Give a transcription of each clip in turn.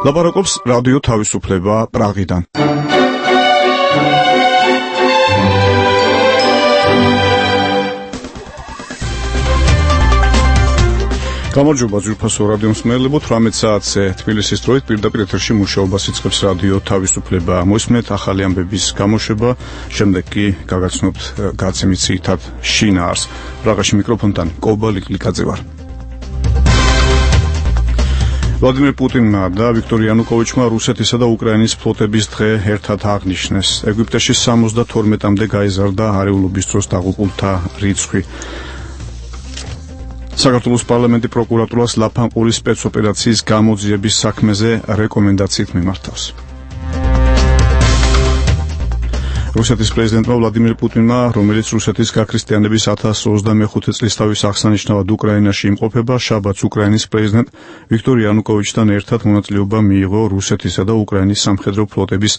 ლაპარაკობს რადიო თავისუფლება პრაღიდან. გამარჯობა ძვირფასო რადიო მსმენელებო, 18 საათზე თბილისის დროით პირდაპირ ეთერში მუშაობას იწყებს რადიო თავისუფლება. მოისმენთ ახალი ამბების გამოშვება, შემდეგ კი გაგაცნობთ გაცემით ძირითად შინაარს. პრაღაში მიკროფონთან კობა ლიკლიკაძე ვარ. ვლადიმერ პუტინმა და ვიქტორ იანუკოვიჩმა რუსეთისა და უკრაინის ფლოტების დღე ერთად აღნიშნეს. ეგვიპტეში 72-მდე გაიზარდა არეულობის დროს დაღუპულთა რიცხვი. საქართველოს პარლამენტი პროკურატურას ლაფანყურის სპეცოპერაციის გამოძიების საქმეზე რეკომენდაციით მიმართავს. რუსეთის პრეზიდენტმა ვლადიმერ პუტინმა, რომელიც რუსეთის გაქრისტიანების 1025 წლის თავის აღსანიშნავად უკრაინაში იმყოფება, შაბათს უკრაინის პრეზიდენტ ვიქტორ იანუკოვიჩთან ერთად მონაწილეობა მიიღო რუსეთისა და უკრაინის სამხედრო ფლოტების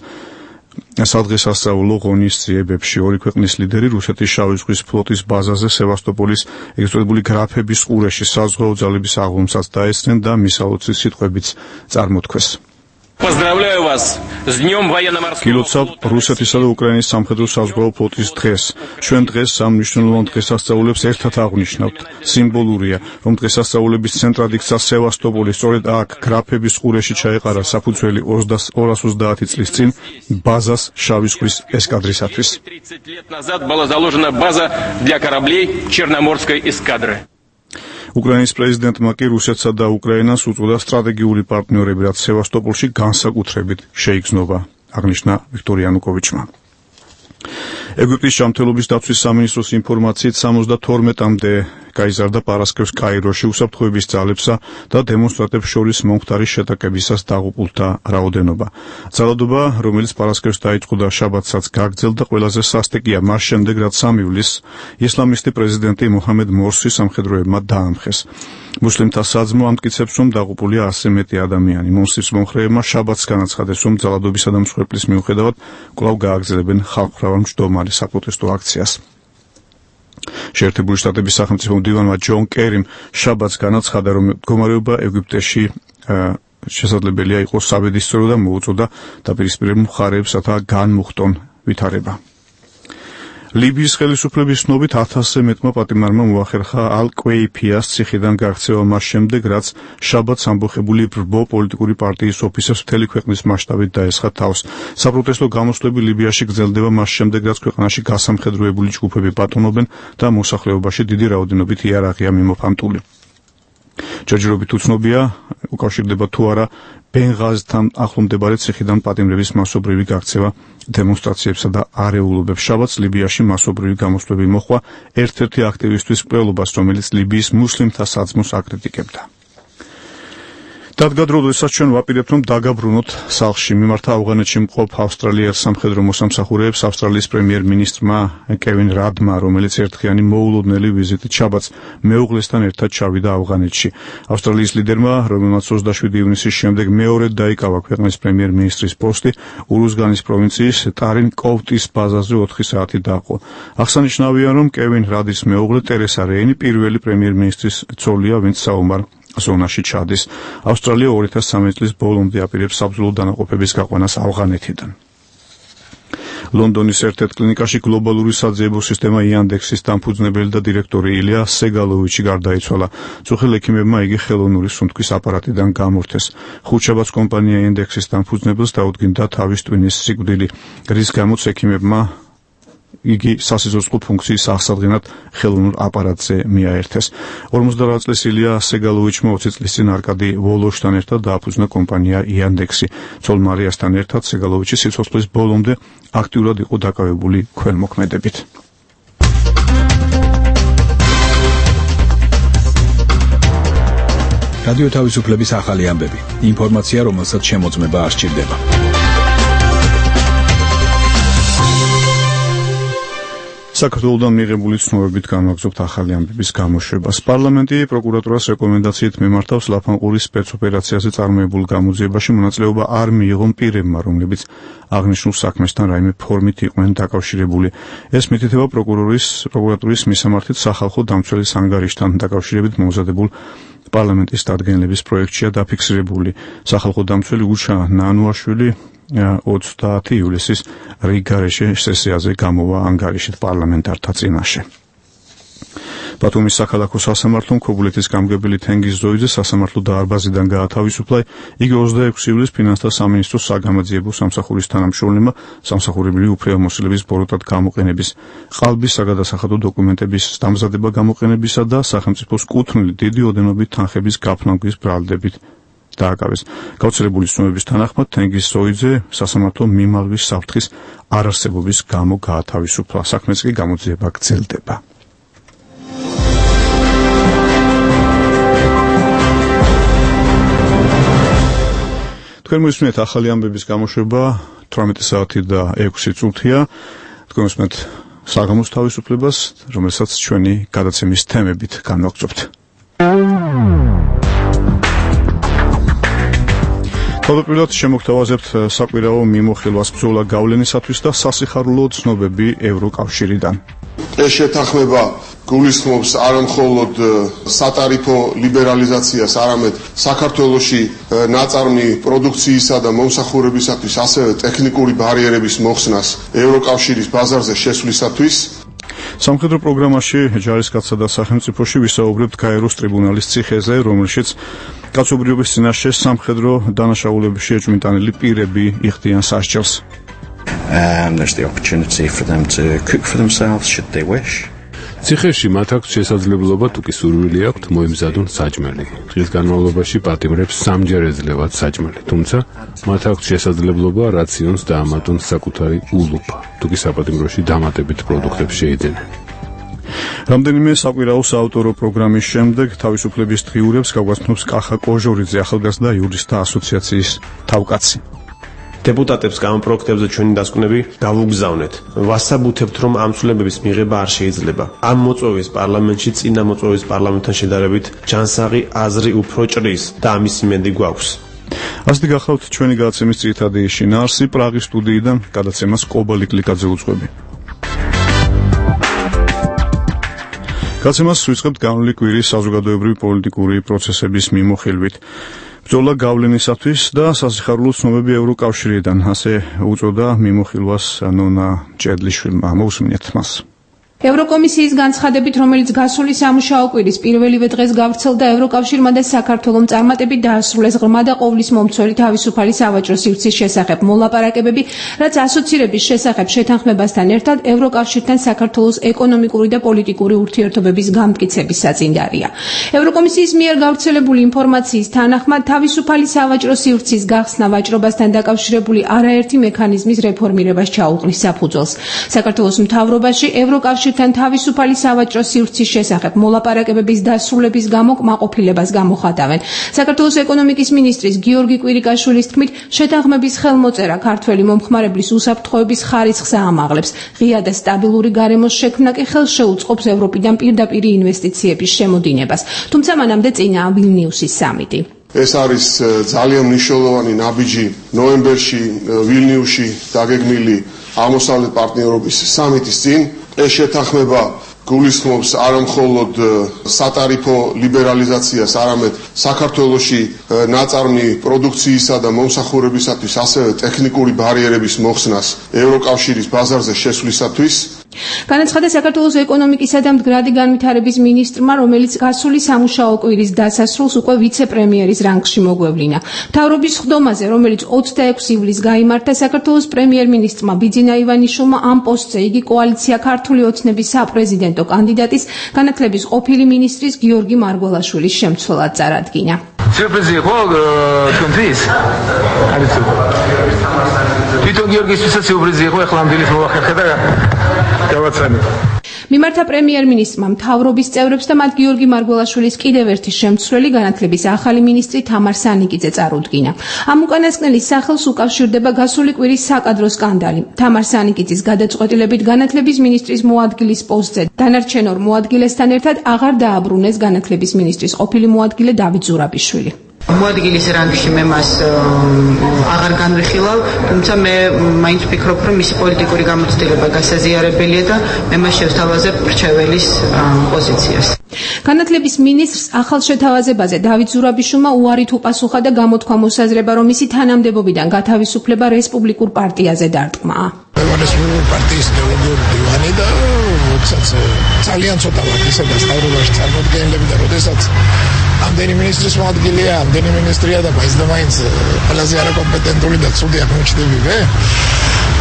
სადღესასწაულო ღონისძიებებში. ორი ქვეყნის ლიდერი რუსეთის შავი ზღვის ფლოტის ბაზაზე სევასტოპოლის ეგზოტებული გრაფების ყურეში საზღვაო ძალების აღლუმსაც დაესწრნენ და მისალოცის სიტყვებიც წარმოთქვეს. Поздравляю вас с днём военно-морского. გილოცავ რუსეთისა და უკრაინის სამხედრო საზღვაო ფლოტის დღეს. ჩვენ დღეს სამ მნიშვნელოვან დღესასწაულებს ერთად აღნიშნავთ. სიმბოლურია, რომ დღესასწაულების ცენტრად იქცა სევასტოპოლი, სწორედ აქ გრაფების ყურეში ჩაეყარა საფუძველი 230 წლის წინ ბაზას შავი ზღვის ესკადრისათვის. 30 лет назад была заложена база для кораблей Черноморской эскадры. უკრაინის პრეზიდენტმა კი რუსეთსა და უკრაინას უწოდა სტრატეგიული პარტნიორები, რაც სევასტოპოლში განსაკუთრებით შეიგრძნობა, აღნიშნა ვიქტორ იანუკოვიჩმა. ეგვიპტის ჯანმრთელობის დაცვის სამინისტროს ინფორმაციით 72-მდე გაიზარდა პარასკევს კაიროში უსაფრთხოების ძალებსა და დემონსტრანტებს შორის მომხდარი შეტაკებისას დაღუპულთა რაოდენობა. ძალადობა, რომელიც პარასკევს დაიწყო და შაბათსაც გაგრძელდა, ყველაზე სასტიკია მას შემდეგ, რაც 3 ივლისს ისლამისტი პრეზიდენტი მოჰამედ მორსი სამხედროებმა დაამხეს. მუსლიმთა საძმო ამტკიცებს, რომ დაღუპულია 100 მეტი ადამიანი. მონსტრის მომხრეებმა შაბათს განაცხადეს, რომ ძალადობისა და მსხვერპლის მიუხედავად კვლავ გააგრძელებენ ხალხმრავალ მჯდომარე საპროტესტო აქციას. შეერთებული შტატების სახელმწიფო მდივანმა ჯონ კერიმ შაბათს განაცხადა, რომ მდგომარეობა ეგვიპტეში შესაძლებელია იყოს საბედისწერო და მოუწოდა დაპირისპირებულ მხარეებსათა განმუხტონ ვითარება. ლიბიის ხელისუფლების ცნობით 1000-ზე მეტმა პატიმარმა მოახერხა ალ-კვეიფიას ციხიდან გაქცევა მას შემდეგ, რაც შაბათს ამბოხებული ბრბო პოლიტიკური პარტიის ოფისებს მთელი ქვეყნის მასშტაბით დაესხა თავს. საპროტესტო გამოსვლები ლიბიაში გრძელდება მას შემდეგ, რაც ქვეყანაში გასამხედროებული ჯგუფები ბატონობენ და მოსახლეობაში დიდი რაოდენობით იარაღია მიმოფანტული. ჯერჯერობით უცნობია, უკავშირდება თუ არა ბენღაზთან ახლო მდებარე ციხიდან პატიმრების მასობრივი გაქცევა დემონსტრაციებსა და არეულობებს. შაბათს ლიბიაში მასობრივი გამოსვლები მოჰყვა ერთ-ერთი აქტივისტვის მკვლელობას, რომელიც ლიბიის მუსლიმთა საძმოს აკრიტიკებდა. დადგა დრო, როდესაც ჩვენ ვაპირებთ, რომ დაგაბრუნოთ სახლში. მიმართა ავღანეთში მყოფ ავსტრალიელ სამხედრო მოსამსახურეებს ავსტრალიის პრემიერ-მინისტრმა კევინ რადმა, რომელიც ერთხიანი მოულოდნელი ვიზიტით შაბათს მეუღლესთან ერთად ჩავიდა ავღანეთში. ავსტრალიის ლიდერმა, რომელმაც 27 ივნისის შემდეგ მეორედ დაიკავა ქვეყნის პრემიერ-მინისტრის პოსტი, ურუზგანის პროვინციის ტარინ კოვტის ბაზაზე 4 საათი დაყო. აღსანიშნავია, რომ კევინ რადის მეუღლე ტერესა რეინი პირველი პრემიერ-მინისტრის ცოლია, ვინც საომარ ზონაში ჩადის. ავსტრალია 2013 წლის ბოლომდე აპირებს საბრძოლო დანაყოფების გაყვანას ავღანეთიდან. ლონდონის ერთ-ერთ კლინიკაში გლობალური საძიებო სისტემა იანდექსის დამფუძნებელი და დირექტორი ილია სეგალოვიჩი გარდაიცვალა. წუხელ ექიმებმა იგი ხელოვნური სუნთქვის აპარატიდან გამორთეს. ხუთშაბათს კომპანია იანდექსის დამფუძნებელს დაუდგინდა თავის ტვინის სიკვდილი, რის გამოც ექიმებმა იგი სასიცოცხლო ფუნქციის აღსადგენად ხელოვნურ აპარატზე მიაერთეს. 58 წლის ილია სეგალოვიჩმა 20 წლის წინ არკადი ვოლოშთან ერთად დააფუძნა კომპანია იანდექსი. ცოლ მარიასთან ერთად სეგალოვიჩი სიცოცხლის ბოლომდე აქტიურად იყო დაკავებული ქველმოქმედებით. რადიო თავისუფლების ახალი ამბები. ინფორმაცია, რომელსაც შემოწმება არ სჭირდება. საქართველოდან მიღებული ცნობებით განვაგრძობთ ახალი ამბების გამოშვებას. პარლამენტი პროკურატურას რეკომენდაციით მიმართავს ლაფანყურის სპეცოპერაციაზე წარმოებულ გამოძიებაში მონაწილეობა არ მიიღონ პირებმა, რომლებიც აღნიშნულ საქმესთან რაიმე ფორმით იყვნენ დაკავშირებული. ეს მითითება პროკურატურის მისამართით სახალხო დამცველის ანგარიშთან დაკავშირებით მომზადებულ პარლამენტის დადგენილების პროექტშია დაფიქსირებული. სახალხო დამცველი გუშა ნანუაშვილი 30 ივლისის რიგარეშე სესიაზე გამოვა ანგარიშით პარლამენტართა წინაშე. ბათუმის საქალაქო სასამართლომ ქობულეთის გამგებელი თენგიზ ზოიძე სასამართლო დარბაზიდან გაათავისუფლა. იგი 26 ივლისს ფინანსთა სამინისტროს საგამოძიებო სამსახურის თანამშრომლებმა სამსახურებრივი უფლებამოსილების ბოროტად გამოყენების, ყალბის საგადასახადო დოკუმენტების დამზადება გამოყენებისა და სახელმწიფოს კუთვნილი დიდი ოდენობით თანხების გაფრანგვის ბრალდებით დააკავეს. გავრცელებული ცნობების თანახმად თენგიზ ზოიძე სასამართლო მიმართვის საფრთხის არარსებობის გამო გაათავისუფლა. საქმეც კი გამოძიება გრძელდება. თქვენ მოისმენთ ახალი ამბების გამოშვება 18 საათი და 6 წუთია. თქვენ მოისმენთ საღამოს თავისუფლებას, რომელსაც ჩვენი გადაცემის თემებით განვაგრძობთ. თავდაპირველად შემოგთავაზებთ საკვირაო მიმოხილვას ბრძოლა გავლენისათვის და სასიხარულო ცნობები ევროკავშირიდან. ეს შეთანხმება გულისხმობს არა მხოლოდ სატარიფო ლიბერალიზაციას, არამედ საქართველოში ნაწარმი პროდუქციისა და მომსახურებისათვის ასევე ტექნიკური ბარიერების მოხსნას ევროკავშირის ბაზარზე შესვლისათვის. სამხედრო პროგრამაში ჯარისკაცსა და სახელმწიფოში ვისაუბრებთ გაეროს ტრიბუნალის ციხეზე, რომელშიც კაცობრიობის წინაშე სამხედრო დანაშაულებებში ეჭვმიტანილი პირები იხდიან სასჯელს. There's the opportunity for them to cook for themselves should they wish. ციხეში მათ აქვს შესაძლებლობა თუ კი სურვილი აქვთ მოემზადონ საჭმელი. დღის განმავლობაში პატიმრებს სამჯერ ეძლევათ საჭმელი, თუმცა მათ აქვს შესაძლებლობა რაციონს დაამატონ საკუთარი ულუფა, თუ კი საპატიმროში დამატებით პროდუქტებს შეიძენენ. რამდენიმე საკვირაო საავტორო პროგრამის შემდეგ თავისუფლების დღიურებს გაგვაცნობს კახა კოჟორიძე, ახალგაზრდა იურისტთა ასოციაციის თავკაცი. დეპუტატებს გამოპროექტებზე ჩვენი დასკვნები გავუგზავნეთ. ვასაბუთებთ, რომ ამ ცვლილებების მიღება არ შეიძლება. ამ მოწვევის პარლამენტში წინა მოწვევის პარლამენტთან შედარებით ჯანსაღი აზრი უფრო ჭრის და ამის იმედი გვაქვს. ასეთი გახლავთ ჩვენი გადაცემის ძირითადი შინაარსი. პრაღის სტუდიიდან გადაცემას კობალი კლიკაძე უძღვები. გადაცემას ვიწყებთ განვლილი კვირის საზოგადოებრივი პოლიტიკური პროცესების მიმოხილვით. ბრძოლა გავლენისათვის და სასიხარულო ცნობები ევროკავშირიდან, ასე უწოდა მიმოხილვას ნონა ჭედლიშვილმა. მოусმინეთ მას. ევროკომისიის განცხადებით, რომელიც გასული სამუშაო კვირის პირველივე დღეს გავრცელდა, ევროკავშირმა და საქართველომ წარმატებით დაასრულეს ღრმა და ყოვლის მომცველი თავისუფალი სავაჭრო სივრცის შესახებ მოლაპარაკებები, რაც ასოცირების შესახებ შეთანხმებასთან ერთად ევროკავშირთან საქართველოს ეკონომიკური და პოლიტიკური ურთიერთობების გამტკიცების საწინდარია. ევროკომისიის მიერ გავრცელებული ინფორმაციის თანახმად, თავისუფალი სავაჭრო სივრცის გახსნა ვაჭრობასთან დაკავშირებული არაერთი მექანიზმის რეფორმირებას ჩაუყრის საფუძველს. საქართველოს მთავრობაში ევროკავშირთან თავისუფალი სავაჭრო სივრცის შესახებ მოლაპარაკებების დასრულების გამო კმაყოფილებას გამოხატავენ. საქართველოს ეკონომიკის მინისტრის გიორგი კვირიკაშვილის თქმით, შეთანხმების ხელმოწერა ქართველი მომხმარებლის უსაფრთხოების ხარისხს აამაღლებს. ღია და სტაბილური გარემოს შექმნა კი ხელს შეუწყობს ევროპიდან პირდაპირ ინვესტიციების შემოდინებას. თუმცა მანამდე წინაა ვილნიუსის სამიტი. ეს არის ძალიან მნიშვნელოვანი ნაბიჯი ნოემბერში ვილნიუსში დაგეგმილი აღმოსავლეთ პარტნიორობის სამიტის წინ. ეს შეთანხმება გულისხმობს არა მხოლოდ სატარიფო ლიბერალიზაციას, არამედ საქართველოში ნაწარმი პროდუქციისა და მომსახურებისათვის ასევე ტექნიკური ბარიერების მოხსნას ევროკავშირის ბაზარზე შესვლისათვის. განაცხადა საქართველოს ეკონომიკისა და მდგრადი განვითარების მინისტრმა, რომელიც გასული სამუშაო კვირის დასასრულს უკვე ვიცე-პრემიერის რანგში მოგვევლინა. მთავრობის ხდომაზე, რომელიც 26 ივლისს გაიმართა, საქართველოს პრემიერ-მინისტრმა ბიძინა ივანიშვილმა ამ პოსტზე იგი კოალიცია ქართული ოცნების საპრეზიდენტო კანდიდატის, განათლების ყოფილი მინისტრის გიორგი მარგველაშვილის შემცველად წარადგინა. სიურპრიზი იყო თქვენთვის? თვითონ გიორგისთვისაც სიურპრიზი იყო, ახლა ამ დილის მოვახერხე და გავაცანე. მიმართა პრემიერ-მინისტრმა მთავრობის წევრებს და მათ გიორგი მარგველაშვილის კიდევ ერთი შემცვლელი განათლების ახალი მინისტრი თამარ სანიკიძე წარუდგინა. ამ უკანასკნელის სახელს უკავშირდება გასული კვირის საკადრო სკანდალი. თამარ სანიკიძის გადაწყვეტილებით განათლების მინისტრის მოადგილის პოსტზე დანარჩენ ორ მოადგილესთან ერთად აღარ დააბრუნეს განათლების მინისტრის ყოფილი მოადგილე დავით ზურაბიშვილი. მოადგილის რანგში მე მას აღარ განვიხილავ, თუმცა მე მაინც ვფიქრობ, რომ მისი პოლიტიკური გამოცდილება გასაზიარებელია და მე მას შევთავაზებ მრჩეველის პოზიციას. განათლების მინისტრს ახალ შეთავაზებაზე დავით ზურაბიშვილმა უარით უპასუხა და გამოთქვა მოსაზრება, რომ მისი თანამდებობიდან გათავისუფლება რესპუბლიკურ პარტიაზე დარტყმა. რესპუბლიკური პარტიის გეოლოგიური დივანი და ძალიან ცოტა ვართ და სტავრობაში წარმოადგენლები და როდესაც ამდენი მინისტრის მოადგილეა, ამდენი მინისტრია და მაინც ყველაზე არაკომპეტენტური და ცუდი აღმოჩნდებივე.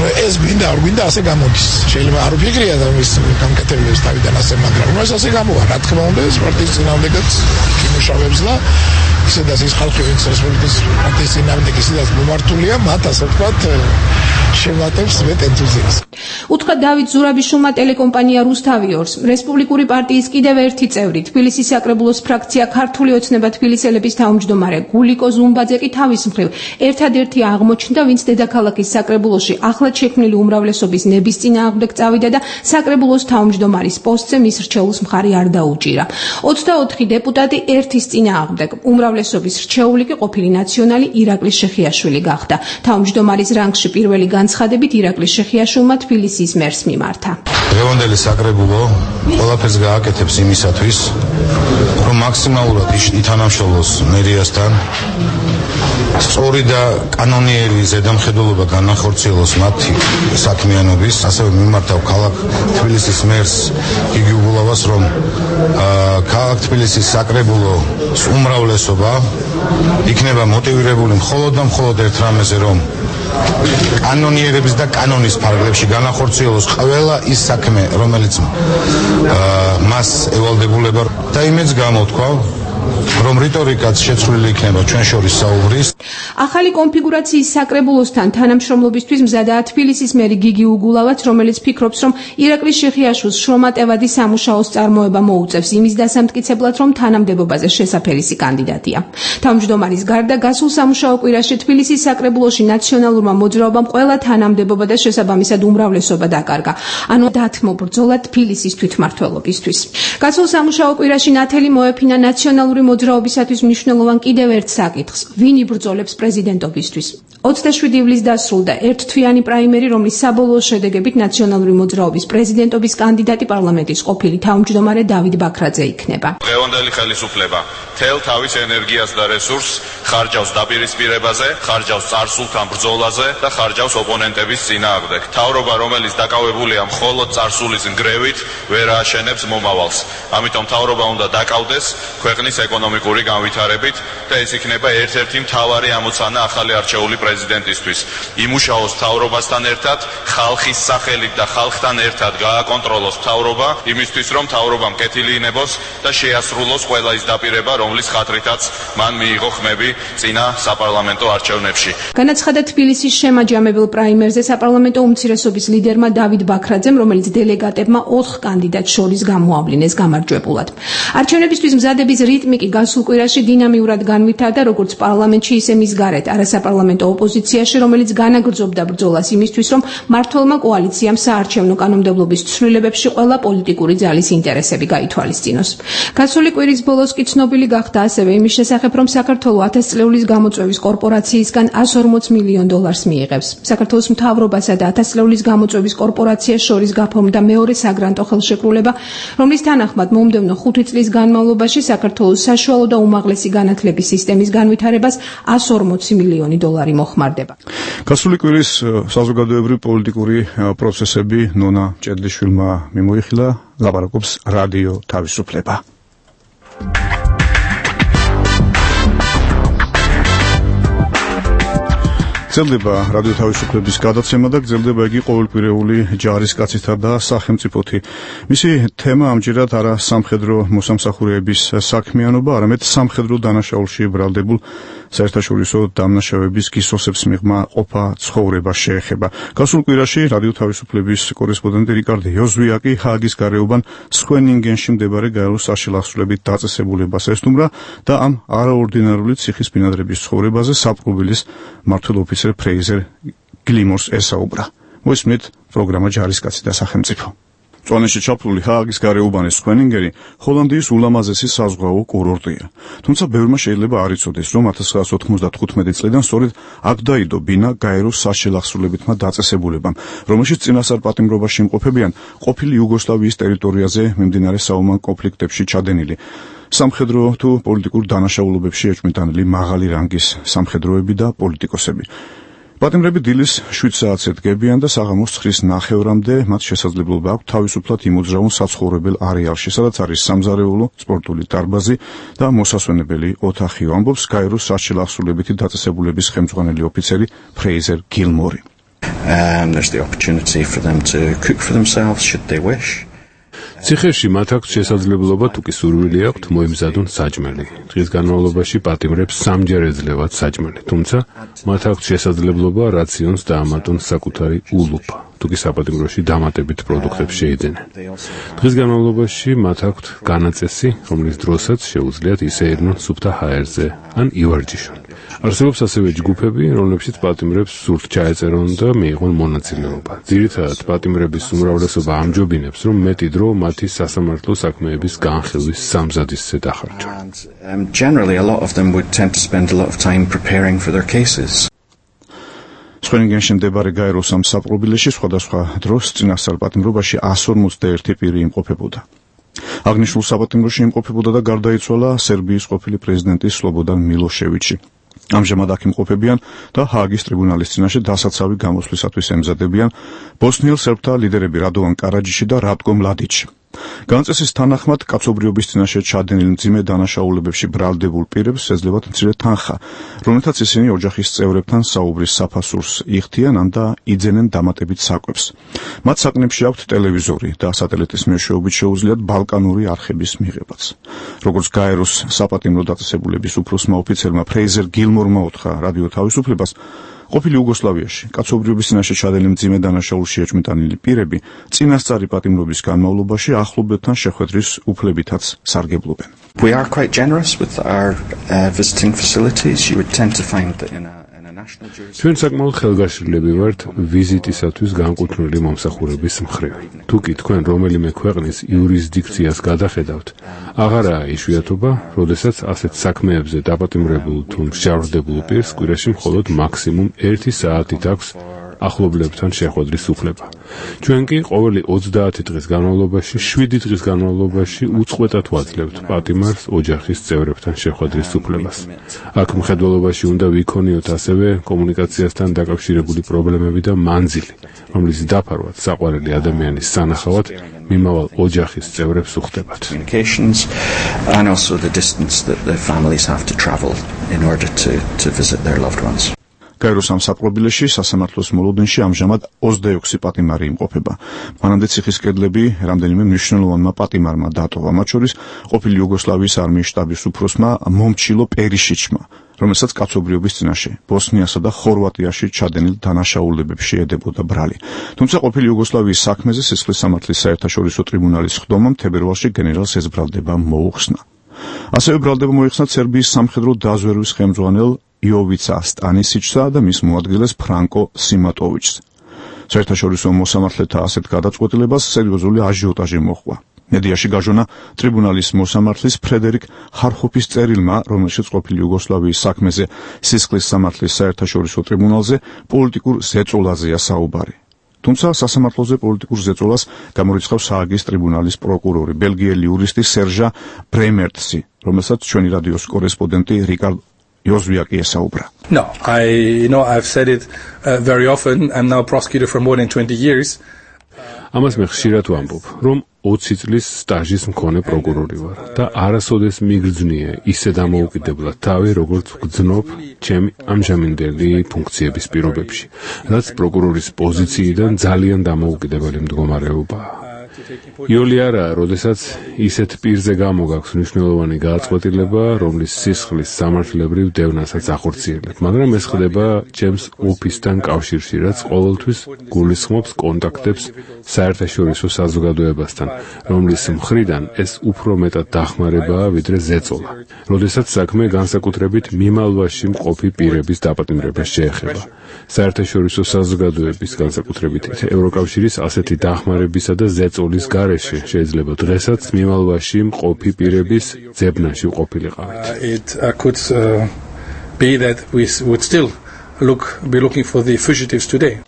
ეს გვინდა არ გვინდა ასე გამოდის. შეიძლება არ ვფიქრია და მის გამკეთებლებს თავიდან ასე, მაგრამ ეს ასე გამოვა. რა თქმა უნდა, ეს პარტიის წინააღმდეგაც იმუშავებს და ისედაც ის ხალხი, ვინც რესპუბლიკის პარტიის წინააღმდეგ ისედაც მომართულია, მათ ასე ვთქვათ შევატევს მეტ ენთუზიაზმს. უთხრა დავით ზურაბიშვილმა ტელეკომპანია რუსთავი-2-ს რესპუბლიკური პარტიის კიდევ ერთი წევრი, თბილისის საკრებულოს ფრაქცია ქართული ოცნება თბილისელების თავმჯდომარე გულიკო ზუმბაძე კი თავის მხრივ ერთადერთი აღმოჩნდა, ვინც დედაქალაქის საკრებულოში ახლად შექმნილი უმრავლესობის ნების წინააღმდეგ წავიდა და საკრებულოს თავმჯდომარის პოსტზე მის რჩეულს მხარი არ დაუჭირა. 24 დეპუტატი ერთის წინააღმდეგ. უმრავლესობის რჩეული კი ყოფილი ნაციონალი ირაკლი შეხიაშვილი გახდა. თავმჯდომარის რანგში პირველი განცხადებით ირაკლი შეხიაშვილმა თბილისის მერს მიმართა. დღევანდელი საკრებულო ყველაფერს გააკეთებს იმისათვის, რომ მაქსიმალურად ითანამშრომლოს მერიასთან, სწორი და კანონიერი ზედამხედველობა განახორციელოს მათი საქმიანობის, ასევე მიმართავ ქალაქ თბილისის მერს გიგი უგულავას, რომ ქალაქ თბილისის საკრებულოს უმრავლესობა იქნება მოტივირებული მხოლოდ და მხოლოდ ერთ რამეზე, რომ კანონიერების და კანონის ფარგლებში განახორციელოს ყველა ის საქმე, რომელიც მას ევალდებულება და იმედს გამოთქვავ, რომ რიტორიკაც შეცვლილი იქნება ჩვენ შორის საუბრის. ახალი კონფიგურაციის საკრებულოსთან თანამშრომლობისთვის მზადაა თბილისის მერი გიგი უგულავაც, რომელიც ფიქრობს, რომ ირაკლი შეხიაშვილს შრომატევადი სამუშაოს წარმოება მოუწევს იმის დასამტკიცებლად, რომ თანამდებობაზე შესაფერისი კანდიდატია. თავმჯდომარის გარდა გასულ სამუშაო კვირაში თბილისის საკრებულოში ნაციონალურმა მოძრაობამ ყველა თანამდებობა და შესაბამისად უმრავლესობა დაკარგა, ანუ დათმო ბრძოლა თბილისის თვითმმართველობისთვის. გასულ სამუშაო კვირაში ნათელი მოეფინა ნაციონალური მოძრაობისათვის მნიშვნელოვან კიდევ ერთ საკითხს, ვინ იბრძოლებს პრეზიდენტობისთვის. 27 ივლისს დასრულდა ერთთვიანი პრაიმერი, რომლის საბოლოო შედეგებით ნაციონალური მოძრაობის პრეზიდენტობის კანდიდატი პარლამენტის ყოფილი თავმჯდომარე დავით ბაქრაძე იქნება. დღევანდელი ხელისუფლება თელ თავის ენერგიას და რესურსს ხარჯავს დაპირისპირებაზე, ხარჯავს წარსულთან ბრძოლაზე და ხარჯავს ოპონენტების წინააღმდეგ. მთავრობა, რომელიც დაკავებულია მხოლოდ წარსულის ნგრევით, ვერ ააშენებს მომავალს. ამიტომ მთავრობა უნდა დაკავდეს ქვეყნის ეკონომიკური განვითარებით და ეს იქნება ერთ-ერთი მთავარი ამოცანა ახალი არჩეული პრეზიდენტისთვის. იმუშაოს მთავრობასთან ერთად, ხალხის სახელით და ხალხთან ერთად გააკონტროლოს მთავრობა, იმისთვის რომ მთავრობამ კეთილი ინებოს და შეასრულოს ყველა ის დაპირება, რომლის ხათრითაც მან მიიღო ხმები წინა საპარლამენტო არჩევნებში. განაცხადა თბილისის შემაჯამებელ პრაიმერზე საპარლამენტო უმცირესობის ლიდერმა დავით ბაქრაძემ, რომელიც დელეგატებმა 4 კანდიდატს შორის გამოავლინეს გამარჯვებულად. არჩევნებისთვის მზადების რიტმი კი გასულ კვირაში დინამიურად განვითარდა როგორც პარლამენტში, ისე მის გარეთ არასაპარლამენტო ოპოზიციაში, რომელიც განაგრძობდა ბრძოლას იმისთვის, რომ მმართველმა კოალიციამ საარჩევნო კანონმდებლობის ცვლილებებში ყველა პოლიტიკური ძალის ინტერესები გაითვალისწინოს. გასული კვირის ბოლოს კი ცნობილი გახდა ასევე იმის შესახებ, რომ საქართველოს 1000 წლეულის გამოწვევის კორპორაციისგან $140 მილიონ მიიღებს. საქართველოს მთავრობასა და 1000 წლეულის გამოწვევის კორპორაციას შორის გაფორმდა მეორე საგრანტო ხელშეკრულება, რომლის თანახმად მომდევნო 5 წლის განმავლობაში საქართველოს საშუალო და უმაღლესი განათლების სისტემის განვითარებას $140 მილიონი მოხმარდება. გასული კვირის საზოგადოებრივი პოლიტიკური პროცესები ნონა ჭედლიშვილმა მიმოიხილა, ლაპარაკობს რადიო თავისუფლება. გრძელდება რადიო თავისუფლების გადაცემა და გრძელდება იგი ყოველკვირეული ჯარისკაცითა და სახელმწიფოთი. მისი თემა ამჯერად არა სამხედრო მოსამსახურეების საქმიანობა, არამედ სამხედრო დანაშაულში ბრალდებულ საერთაშორისო დამნაშავეების გისოსებს მიღმა ყოფა ცხოვრება შეეხება. გასულ კვირაში რადიო თავისუფლების კორესპონდენტი რიკარდ იოზვიაკი ჰააგის გარეუბან სხვენინგენში მდებარე გაეროს საშილახსრებით დაწესებულებას ესტუმრა და ამ არაორდინარული ციხის ბინადრების ცხოვრებაზე საპყრობილის მმართველ ოფიცერ ფრეიზერ გლიმორს ესაუბრა. მოისმენთ პროგრამა ჯარისკაცი და სახელმწიფო. მწვანეში ჩაფლული ჰააგის გარეუბანის სქვენინგერი ჰოლანდიის ულამაზესი საზღვაო კურორტია. თუმცა ბევრმა შეიძლება არ იცოდეს, რომ 1995 წლიდან სწორედ აქ დაიდო ბინა გაეროს საშელახსრულებითმა დაწესებულებამ, რომელშიც წინასწარ პატიმრობაში იმყოფებიან ყოფილი იუგოსლავიის ტერიტორიაზე მიმდინარე საომარ კონფლიქტებში ჩადენილი სამხედრო თუ პოლიტიკურ დანაშაულობებში ეჭვმიტანილი მაღალი რანგის სამხედროები და პოლიტიკოსები. პატიმრები დილის 7 საათზე დგებიან და საღამოს 9:30-მდე მათ შესაძლებლობა აქვთ თავისუფლად იმოძრავონ საცხოვრებელ არეალში, სადაც არის სამზარეულო, სპორტული დარბაზი და მოსასვენებელი ოთახიო, ამბობს გაეროს საშელახსრულებითი დაწესებულების ხელმძღვანელი ოფიცერი ფრეიზერ გილმორი. There's the opportunity for them to cook for themselves should they wish. ციხეში მათ აქვს შესაძლებლობა თუ კი სურვილი აქვთ მოემზადონ საჭმელი. დღის განმავლობაში პატიმრებს 3-ჯერ ეძლევათ საჭმელი, თუმცა მათ აქვს შესაძლებლობა რაციონს დაამატონ საკუთარი ულუფა, თუ კი საპატიმროში დამატებით პროდუქტებს შეიძენენ. დღის განმავლობაში მათ აქვთ განაწესი, რომლის დროსაც შეუძლიათ ისე ერნონ სუფთა ჰაერზე ან ივარჯიშონ. არსებობს ასევე ჯგუფები, რომლებშიც პატიმრებს სურთ ჩაეწერონ და მიიღონ მონაწილეობა. ძირითადად პატიმრების უმრავლესობა ამჯობინებს, რომ მეტი დრო მათი სასამართლო საქმეების განხილვის სამზადისზე დახარჯონ. Generally, a lot of them would tend to spend a lot of time preparing for their cases. სქვენინგენში მდებარე გაეროს ამ საპყრობილეში სხვადასხვა დროს წინასწარ პატიმრობაში 151 პირი იმყოფებოდა. აღნიშნულ საპატიმროში იმყოფებოდა და გარდაიცვალა სერბიის ყოფილი პრეზიდენტი სლობოდან მილოშევიჩი. ამჟამად აქ იმყოფებიან და ჰააგის ტრიბუნალის წინაშე დასაცავი გამოსვლისათვის ემზადებიან ბოსნიელ სერბთა ლიდერები რადოვან კარაჯიში და რატკო მლადიჩი. განაწესის თანახმად კაცობრიობის წინაშე ჩადენილ მძიმე დანაშაულებებში ბრალდებულ პირებს ეძლებათ მცირე თანხა, რომელთაც ისინი ოჯახის წევრებთან საუბრის საფასურს იხდიან და იძენენ დამატებით საკვებს. მათ საკნებში აქვთ ტელევიზორი და სატელიტის მეშვეობით შეუძლიათ ბალკანური არხების მიღებაც. როგორც გაეროს საპატიმრო დაწესებულების უფროსმა ოფიცერმა ფრეიზერ გილმორმა უთხრა რადიო თავისუფლებას, ყოფილი იუგოსლავიაში კაცობრიობის წინაშე ჩადენილი მძიმე დანაშაულში ეჭვმიტანილი პირები წინასწარი პატიმრობის განმავლობაში ახლობლებთან შეხვედრის უფლებითაც სარგებლობენ. We are quite generous with our visiting facilities. You would tend to find that in a ჩვენ საკმაოდ ხელგაშლილები ვართ ვიზიტისათვის განკუთვნილი მომსახურების მხრივ. თუ კი თქვენ რომელიმე ქვეყნის იურისდიქციას გადახედავთ, აღარაა იშვიათობა, როდესაც ასეთ საქმეებზე დაპატიმრებულ თუ მსჯავრდებულ პირს კვირაში მხოლოდ მაქსიმუმ 1 საათით აქვს ახლობლებთან შეხვედრის უფლება. ჩვენ კი ყოველი 30 დღის განმავლობაში 7 დღის განმავლობაში უწყვეტად ვაძლევთ პატიმარს ოჯახის წევრებთან შეხვედრის უფლებას. აქ მხედველობაში უნდა ვიქონიოთ ასევე კომუნიკაციასთან დაკავშირებული პრობლემები და მანძილი, რომლის დაფარვაც საყვარელი ადამიანის სანახავად მიმავალ ოჯახის წევრებს უხდებათ. And also the distance that the families have to travel in order to visit their loved ones. გაეროს ამ საპყრობილეში სასამართლოს მოლოდინში ამჟამად 26 პატიმარი იმყოფება. მანამდე ციხის კედლები რამდენიმე მნიშვნელოვანმა პატიმარმა დატოვა, მათ შორის ყოფილი იუგოსლავიის არმიის შტაბის უფროსმა მომჩილო პერიშიჩმა, რომელსაც კაცობრიობის წინაშე ბოსნიასა და ხორვატიაში ჩადენილ დანაშაულებებში ედებოდა ბრალი. თუმცა ყოფილი იუგოსლავიის საქმეზე სისხლის სამართლის საერთაშორისო ტრიბუნალის ხდომამ თებერვალში გენერალს ეს ბრალდება მოუხსნა. ასევე ბრალდება მოიხსნა სერბიის სამხედრო დაზვერვის ხელმძღვანელ იოვიცა სტანისიჩსა და მის მოადგილეს ფრანკო სიმატოვიჩს. საერთაშორისო მოსამართლეთა ასეთ გადაწყვეტილებას სერიოზული აჟიოტაჟი მოჰყვა. მედიაში გაჟონა ტრიბუნალის მოსამართლის ფრედერიკ ხარხოფის წერილმა, რომელშიც ყოფილი იუგოსლავიის საქმეზე სისხლის სამართლის საერთაშორისო ტრიბუნალზე პოლიტიკურ ზეწოლაზეა საუბარი. თუმცა სასამართლოზე პოლიტიკურ ზეწოლას გამორიცხავს ჰააგის ტრიბუნალის პროკურორი, ბელგიელი იურისტი სერჟა ბრემერტსი, რომელსაც ჩვენი რადიოს კორესპონდენტი რიკარდ Yozviaki esaubra. No, I've said it very often. I'm now prosecutor for more than 20 years. ამას მე ხშირად ვამბობ, რომ 20 წლის სტაჟის მქონე პროკურორი ვარ და არასოდეს მიგრძნია ისე დამოუკიდებლად თავი, როგორც ვგრძნობ ჩემი ამჟამინდელი ფუნქციების პირობებში, რაც პროკურორის პოზიციიდან ძალიან დამოუკიდებელი მდგომარეობაა. იოლი არა, როდესაც ისეთ პირზე გამოგაქვს მნიშვნელოვანი გადაწყვეტილება, რომლის სისხლის სამართლებრივ დევნასაც ახორციელებ, მაგრამ ეს ხდება ჩემს ოფისთან კავშირში, რაც ყოველთვის გულისხმობს კონტაქტებს საერთაშორისო საზოგადოებასთან, რომლის მხრიდან ეს უფრო მეტად დახმარებაა, ვიდრე ზეწოლა. როდესაც საქმე განსაკუთრებით მიმალვაში მყოფი პირების დაპატიმრებას შეეხება. საერთაშორისო საზოგადოების განსაკუთრებით ევროკავშირის ასეთი დახმარებისა და ზეწოლის სწავლის გარეშე შეიძლება დღესაც მიმალვაში მყოფი პირების ძებნაში ყოფილიყავით. It could be that we would still be looking for the fugitives today.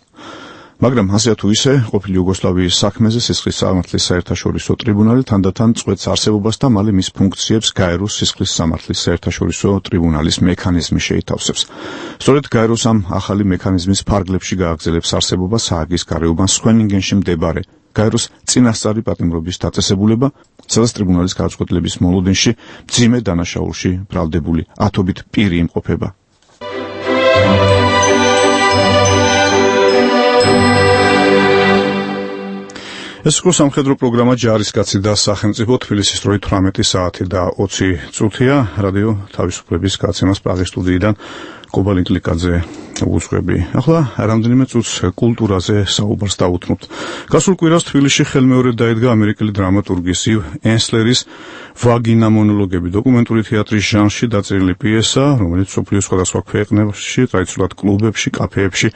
მაგრამ ასე თუ ისე, ყოფილი იუგოსლავიის საქმეზე სისხლის სამართლის საერთაშორისო ტრიბუნალი თანდათან წყვეტს არსებობას და მალე მის ფუნქციებს გაეროს სისხლის სამართლის საერთაშორისო ტრიბუნალის მექანიზმი შეითავსებს. სწორედ გაეროს ამ ახალი მექანიზმის ფარგლებში გააგრძელებს არსებობას ჰააგის გარეუბან სქვენინგენში მდებარე გაეროს წინასწარი პატიმრობის დაწესებულება, სადაც ტრიბუნალის გადაწყვეტილების მოლოდინში მძიმე დანაშაულში ბრალდებული ათობით პირი იმყოფება. ეს იყო სამხედრო პროგრამა ჯარისკაცი და სახელმწიფო თბილისის დროით 18 საათი და 20 წუთია. რადიო თავისუფლების გაცემას პრაღის სტუდიიდან კობალინკლიკაძე უძღვები. ახლა რამდენიმე წუთს კულტურაზე საუბარს დავუთმობთ. გასულ კვირას თბილისში ხელმეორედ დაიდგა ამერიკელი დრამატურგის ივ ენსლერის ვაგინა მონოლოგები დოკუმენტური თეატრის ჟანრში დაწერილი პიესა, რომელიც მსოფლიოს სხვადასხვა ქვეყნებში, ტრადიციულად კლუბებში, კაფეებში,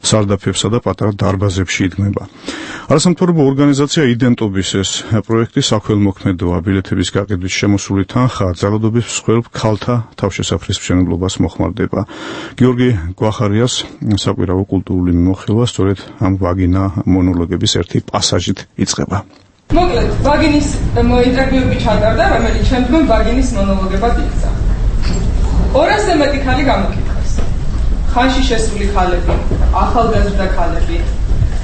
სარდაფებსა და პატარა დარბაზებში იდგმება. არასამთავრობო ორგანიზაცია იდენტობის ეს პროექტი საქველმოქმედოა. ბილეთების გაყიდვის შემოსული თანხა ძალადობის მსხვერპ ქალთა თავშესაფრის მშენებლობას მოხმარდება. გიორგი გვახარიას საკვირაო კულტურული მიმოხილვა სწორედ ამ ვაგინა მონოლოგების ერთი პასაჟით იწყება. მოკლედ, ვაგინის ინტერვიუები ჩატარდა, რომელიც შემდგომ ვაგინის მონოლოგებად იქცა. 200-ზე მეტი ქალი გამოკითხეს. ხანში შესული ქალები, ახალგაზრდა ქალები,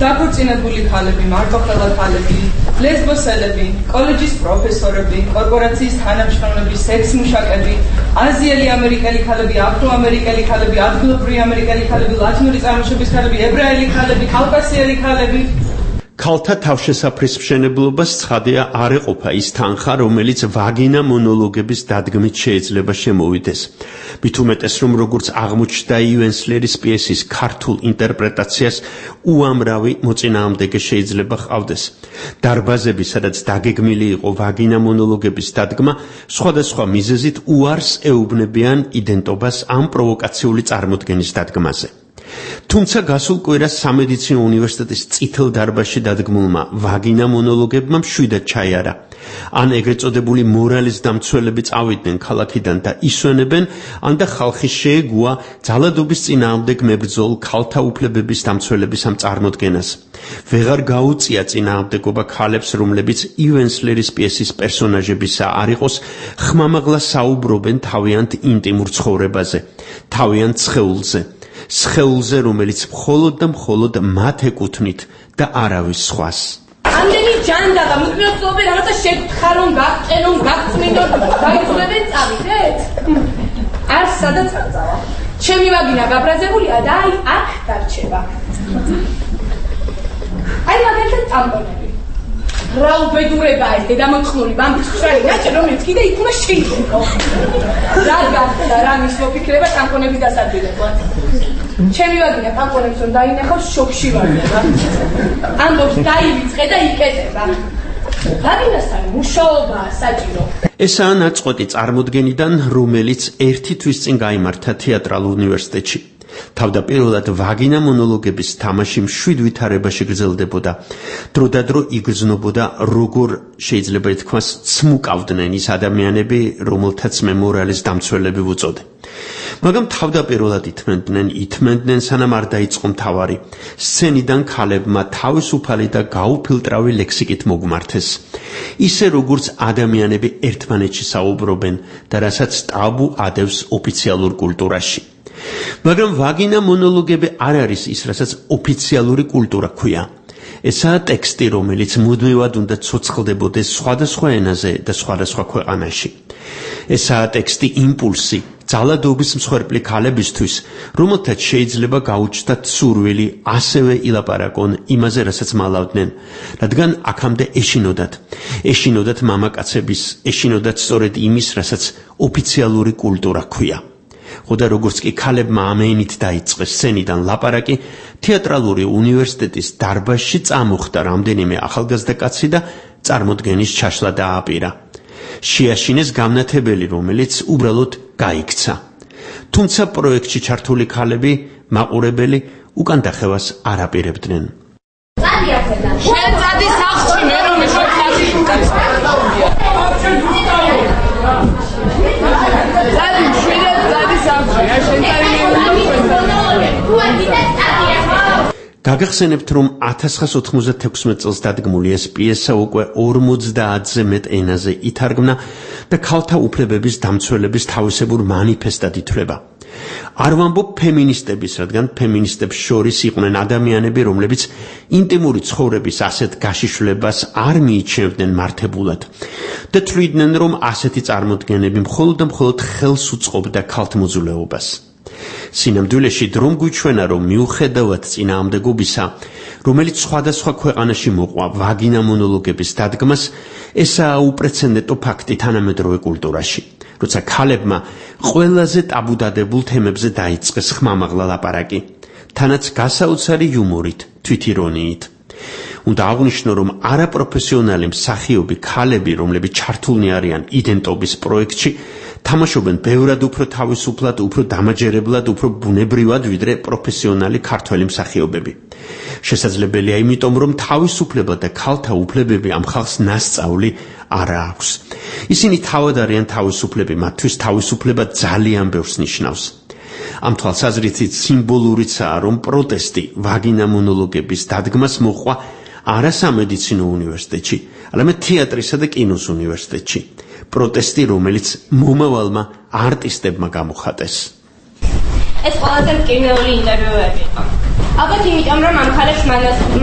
დაქორწინებული ქალები, მარტოხელა ქალები, ლესბოსელები, კოლეჯის პროფესორები, კორპორაციის თანამშრომლები, სექს-მუშაკები, აზიელი ამერიკელი ქალები, აფრო-ამერიკელი ქალები, ადგილობრივი ამერიკელი ქალები, ლათინური წარმოშობის ქალები, ებრაელი ქალები, კავკასიელი ქალები. ქალთა თავშესაფრის მშენებლობას ცხადია არ ეყოფა ის თანხა, რომელიც ვაგინა მონოლოგების დადგმით შეიძლება შემოვიდეს. მით უმეტეს, რომ როგორც აღმოჩნდა ივენსლერის პიესის ქართულ ინტერპრეტაციას უამრავი მოწინააღმდეგე შეიძლება ჰყავდეს. დარბაზები, სადაც დაგეგმილი იყო ვაგინა მონოლოგების დადგმა, სხვადასხვა მიზეზით უარს ეუბნებიან იდენტობას ამ პროვოკაციული წარმოდგენის დადგმაზე. თუმცა გასულ კვირას სამედიცინო უნივერსიტეტის წითელ დარბაზში დადგმულმა ვაგინა მონოლოგებმა მშვიდად ჩაიარა. ან ეგრეთ წოდებული მორალის დამცველები წავიდნენ ქალაქიდან და ისვენებენ, ან და ხალხი შეეგუა ძალადობის წინააღმდეგ მებრძოლ ქალთა უფლებების დამცველების ამ წარმოდგენას. ვეღარ გაუწია წინააღმდეგობა ქალებს, რომლებიც ივენსლერის პიესის პერსონაჟებისა არ იყოს, ხმამაღლა საუბრობენ თავიანთ ინტიმურ ცხოვრებაზე, თავიანთ სხეულზე. სხეულზე, რომელიც მხოლოდ და მხოლოდ მათ ეკუთვნით და არავის სხვას. ამდენი ჯანდაღა მიკროსკოპი რაღაცა შეგთხარონ, გაგყენონ, გაგწმინდონ, გაიწვევენ წავიდეთ? არ სადაც არ წავა. ჩემი ვაგინა გაბრაზებულია და აი აქ დარჩება. აი მაგალითად ტამპონები. რა უბედურება ეს დედამოწმული ბამბისშარი ნაჭი, რომელიც კიდე იქ უნდა შეიდგო. რა გახდა, რა მის მოფიქრება ტამპონების დასადვილებლად. ჩემი ვაგინა ტამპონებს რომ დაინახავს, შოკში ვარდება. ამბობს დაივიწყე და იკეტება. ვაგინასთან მუშაობაა საჭირო. ესაა ნაწყვეტი წარმოდგენიდან, რომელიც ერთი თვის წინ გაიმართა თეატრალურ უნივერსიტეტში. თავდაპირველად ვაგინა მონოლოგების თამაში მშვიდ ვითარებაში გრძელდებოდა. დროდადრო იგრძნობოდა, როგორ შეიძლება ითქვას, ცმუკავდნენ ის ადამიანები, რომელთაც მე მორალის დამცველები ვუწოდე. მაგრამ თავდაპირველად ითმენდნენ, სანამ არ დაიწყო მთავარი. სცენიდან ქალებმა თავისუფალი და გაუფილტრავი ლექსიკით მოგმართეს. ისე როგორც ადამიანები ერთმანეთში საუბრობენ და რასაც ტაბუ ადევს ოფიციალურ კულტურაში. მაგრამ ვაგინა მონოლოგები არ არის ის, რასაც ოფიციალური კულტურა ქვია. ესაა ტექსტი, რომელიც მუდმივად უნდა ცოცხლდებოდეს სხვადასხვა ენაზე და სხვადასხვა ქვეყანაში. ესაა ტექსტი იმპულსი ძალადობის მსხვერპლი ქალებისთვის, რომელთაც შეიძლება გაუჩნდათ სურვილი ასევე ილაპარაკონ იმაზე, რასაც მალავდნენ, რადგან აქამდე ეშინოდათ მამაკაცების, ეშინოდათ სწორედ იმის, რასაც ოფიციალური კულტურა ქვია. ხოდა როგორც კი ქალებმა ამენით დაიწყეს სცენიდან ლაპარაკი, თეატრალური უნივერსიტეტის დარბაზში წამოხდა რამდენიმე ახალგაზრდა კაცი და წარმოდგენის ჩაშლა დააპირა. შეაშინეს გამნათებელი, რომელიც უბრალოდ გაიქცა. თუმცა პროექტში ჩართული ქალები, მაყურებელი უკან დახევას არ აპირებდნენ. წადი სახლში, მე რომ გაგახსენებთ, რომ 1996 წელს დადგმული ეს პიესა უკვე 50-ზე მეტ ენაზე ითარგმნა და ქალთა უფლებების დამცველების თავისებურ მანიფესტად ითვლება. არ ვამბობ ფემინისტების, რადგან ფემინისტებს შორის იყვნენ ადამიანები, რომლებიც ინტიმური ცხოვრების ასეთ გაშიშვლებას არ მიიჩნევდნენ მართებულად და თვლიდნენ, რომ ასეთი წარმოდგენები მხოლოდ და მხოლოდ ხელს უწყობდა ქალთმოძულეობას. სინამდვილეში დრომ გვიჩვენა, რომ მიუხედავად წინააღმდეგობისა, რომელიც სხვადასხვა ქვეყანაში მოყვა ვაგინა მონოლოგების დადგმას, ესაა უპრეცედენტო ფაქტი თანამედროვე კულტურაში, როცა ქალებმა ყველაზე ტაბუდადებულ თემებზე დაიწყეს ხმამაღლა ლაპარაკი, თანაც გასაოცარი იუმორით, თვითირონიით. უნდა აღვნიშნო, რომ არაპროფესიონალი მსახიობი ქალები, რომლებიც ჩართულნი არიან იდენტობის პროექტში, თამაშობენ ბევრად უფრო თავისუფლად, უფრო დამაჯერებლად, უფრო ბუნებრივად, ვიდრე პროფესიონალი ქართველი მსახიობები. შესაძლებელია იმიტომ, რომ თავისუფლება და ქალთა უფლებები ამ ხალხს ნასწავლი არ აქვს. ისინი თავად არიან თავისუფლები, მათთვის თავისუფლება ძალიან ბევრს ნიშნავს. ამ თვალსაზრისით სიმბოლურიცაა, რომ პროტესტი ვაგინა მონოლოგების დადგმას მოჰყვა არა სამედიცინო უნივერსიტეტში, არამედ თეატრისა და კინოს უნივერსიტეტში. პროტესტი, რომელიც მომავალმა არტისტებმა გამოხატეს. ეს ყველაზე მტკივნეული ინტერვიუები იყო. ალბათ იმიტომ, რომ ამ ხალხს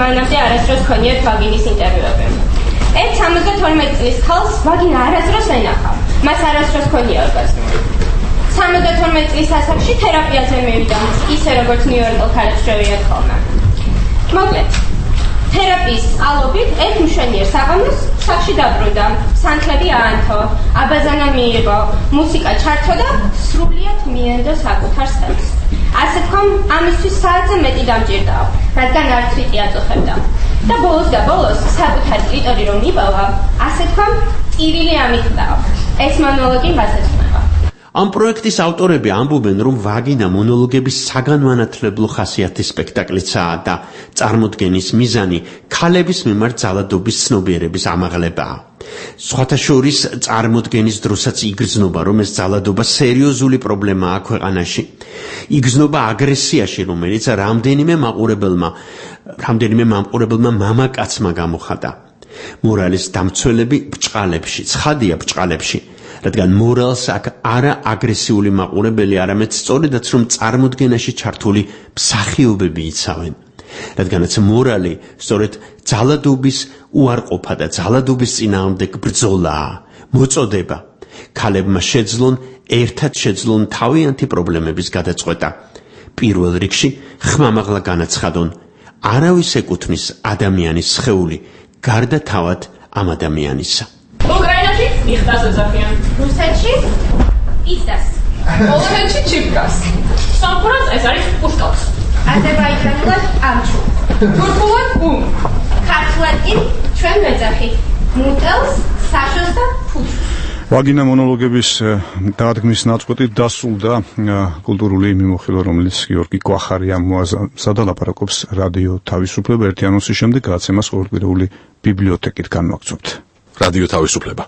მანამდე არასდროს ჰქონიათ ვაგინის ინტერვიუები. ერთ 72 წლის ქალს ვაგინა არასდროს ენახა. მას არასდროს ჰქონია ორგაზმი. 72 წლის ასაკში თერაპიაზე მივიდა, ისე როგორც ნიუ-იორკელ ქალებს შევიათ ხოლმე. მოკლედ, თერაპიის წყალობით ერთ მშვენიერ საღამოს სახში დაბრუნდა, სანთლები აანთო, აბაზანა მიიღო, მუსიკა ჩართო და სრულიად მიენდო საკუთარ ხელს. ასე თქვა, ამისთვის საათზე მეტი დამჭირდაო, რადგან არც ვიტი აწუხებდა. და ბოლოს და ბოლოს საკუთარ კლიტორი რომ იპოვა, ასე თქვა, ტირილი ამიხდაო. ეს მონოლოგი მასეც ხდება. ამ პროექტის ავტორები ამბობენ, რომ ვაგინა მონოლოგების საგანმანათლებლო ხასიათის სპექტაკლიცაა და წარმოდგენის მიზანი ქალების მიმართ ძალადობის ცნობიერების ამაღლებაა. სხვათა შორის წარმოდგენის დროსაც იგრძნობა, რომ ეს ძალადობა სერიოზული პრობლემაა ქვეყანაში. იგრძნობა აგრესიაში, რომელიც რამდენიმე მაყურებელმა მამაკაცმა გამოხატა. მორალის დამცველები ბჭყალებში, ცხადია ბჭყალებში, რადგან მორალს აქ არა აგრესიული მაყურებელი, არამედ სწორედაც რომ წარმოდგენაში ჩართული მსახიობები იცავენ. რადგანაც მორალი სწორედ ძალადობის უარყოფა და ძალადობის წინააღმდეგ ბრძოლაა, მოწოდება. ქალებმა ერთად შეძლონ თავიანთი პრობლემების გადაწყვეტა. პირველ რიგში ხმამაღლა განაცხადონ, არავის ეკუთვნის ადამიანის სხეული, გარდა თავად ამ ადამიანისა. უკრაინაში მიხდას ეძახიან. რუსეთში პიზდას. პოლონეთში ჩიპკას. სამყურას ეს არის პუშკავს. აზერბაიჯანულად ამჩუ. თურქულად ბუმ. ქართულად კი ჩვენ ვეძახით მუტელს, საშოს და ფუჩს. ვაგინა მონოლოგების დადგმის ნაწყვეტი დასრულდა კულტურული მიმოხილვა, რომელიც გიორგი კვახარი ამოაზრდა და ლაპარაკობს რადიო თავისუფლება. ერთი ანონსის შემდეგ გადაცემას ყოველკვირეული ბიბლიოთეკით განვაგრძობთ. რადიო თავისუფლება.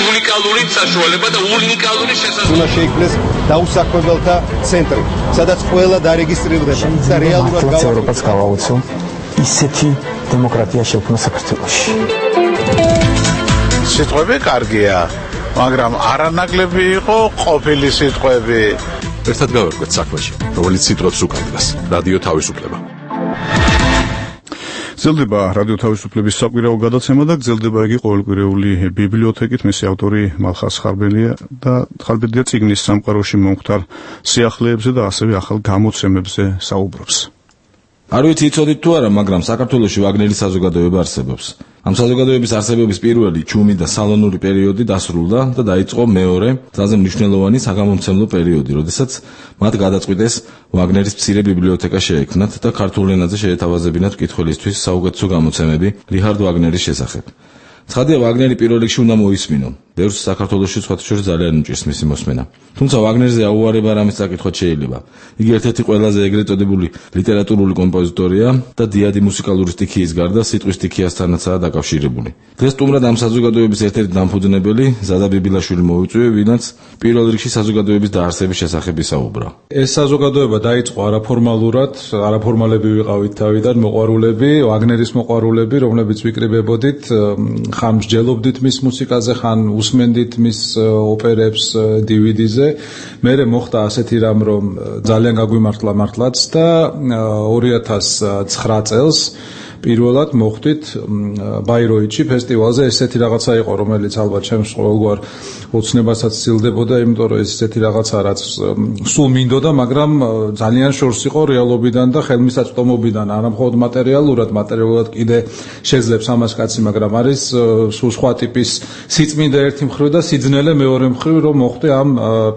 უნიკალური საშუალება და უნიკალური შესაძლებლობა. უნდა შეიქმნეს დაუსაქმებელთა ცენტრი, სადაც ყველა დარეგისტრირდება და რეალურად ევროპას გავაუცო ისეთი დემოკრატია შექმნა საქართველოში. სიტყვები კარგია, მაგრამ არანაკლები იყო ყოფილი სიტყვები. ერთად გავერკვეთ საქმეში, რომელიც სიტყვებს უკარგავს. რადიო თავისუფლება. გრძელდება რადიო თავისუფლების საკვირაო გადაცემა და გრძელდება იგი ყოველკვირეული ბიბლიოთეკით. მისი ავტორი მალხაზ ხარბედია წიგნის სამყაროში მომხდარ სიახლეებზე და ასევე ახალ გამოცემებზე საუბრობს. არ ვიცი იცოდით თუ არა, მაგრამ საქართველოში ვაგნერის საზოგადოება არსებობს. ამ საზოგადოების არსებობის პირველი ჩუმი და სალონური პერიოდი დასრულდა და დაიწყო მეორე, ძალზე მნიშვნელოვანი საგამომცემლო პერიოდი, როდესაც მათ გადაწყვიტეს ვაგნერის მცირე ბიბლიოთეკა შეექმნათ და ქართულ ენაზე შეეთავაზებინათ მკითხველისთვის საუკეთესო გამოცემები რიჰარდ ვაგნერის შესახებ. ცხადია ვაგნერი პირველ რიგში უნდა მოისმინო. ბევრს საქართველოში სხვათა შორის ძალიან უჭირს მისი მოსმენა. თუმცა ვაგნერზე აუარება რამის წაკითხვა შეიძლება. იგი ერთ-ერთი ყველაზე ეგრეთ წოდებული ლიტერატურული კომპოზიტორია და დიადი მუსიკალური სტიქიის გარდა სიტყვის სტიქიასთანაცაა დაკავშირებული. დღეს სტუმრად ამ საზოგადოების ერთ-ერთი დამფუძნებელი ზადა ბიბილაშვილი მოვიწვია, ვინაც პირველ რიგში საზოგადოების დაარსების შესახებ ისაუბრა. ეს საზოგადოება დაიწყო არაფორმალურად, არაფორმალები ვიყავით თავიდან, მოყვარულები, ვაგნერის მოყვარულები, რომლებიც ვიკრიბებოდით, ხან მსჯელობდით მის მუსიკაზე, ხან უსმენდით მის ოპერებს DVD-ზე. მერე მოხდა ასეთი რამ, რომ ძალიან გაგვიმართლა მართლაც და 2009 წელს პირველად მოხვდით ბაიროიტში ფესტივალზე. ესეთი რაღაცა იყო, რომელიც ალბათ ჩემს ყოველგვარ ოცნებასაც სცილდებოდა, იმიტომ რომ ეს ესეთი რაღაცა, რაც სულ მინდოდა, მაგრამ ძალიან შორს იყო რეალობიდან და ხელმისაწვდომობიდან, არა მხოლოდ მატერიალურად კიდე შეძლებს ამას კაცი, მაგრამ არის სულ სხვა ტიპის სიწმინდა ერთი მხრივ და სიძნელე მეორე მხრივ, რომ მოხვდე ამ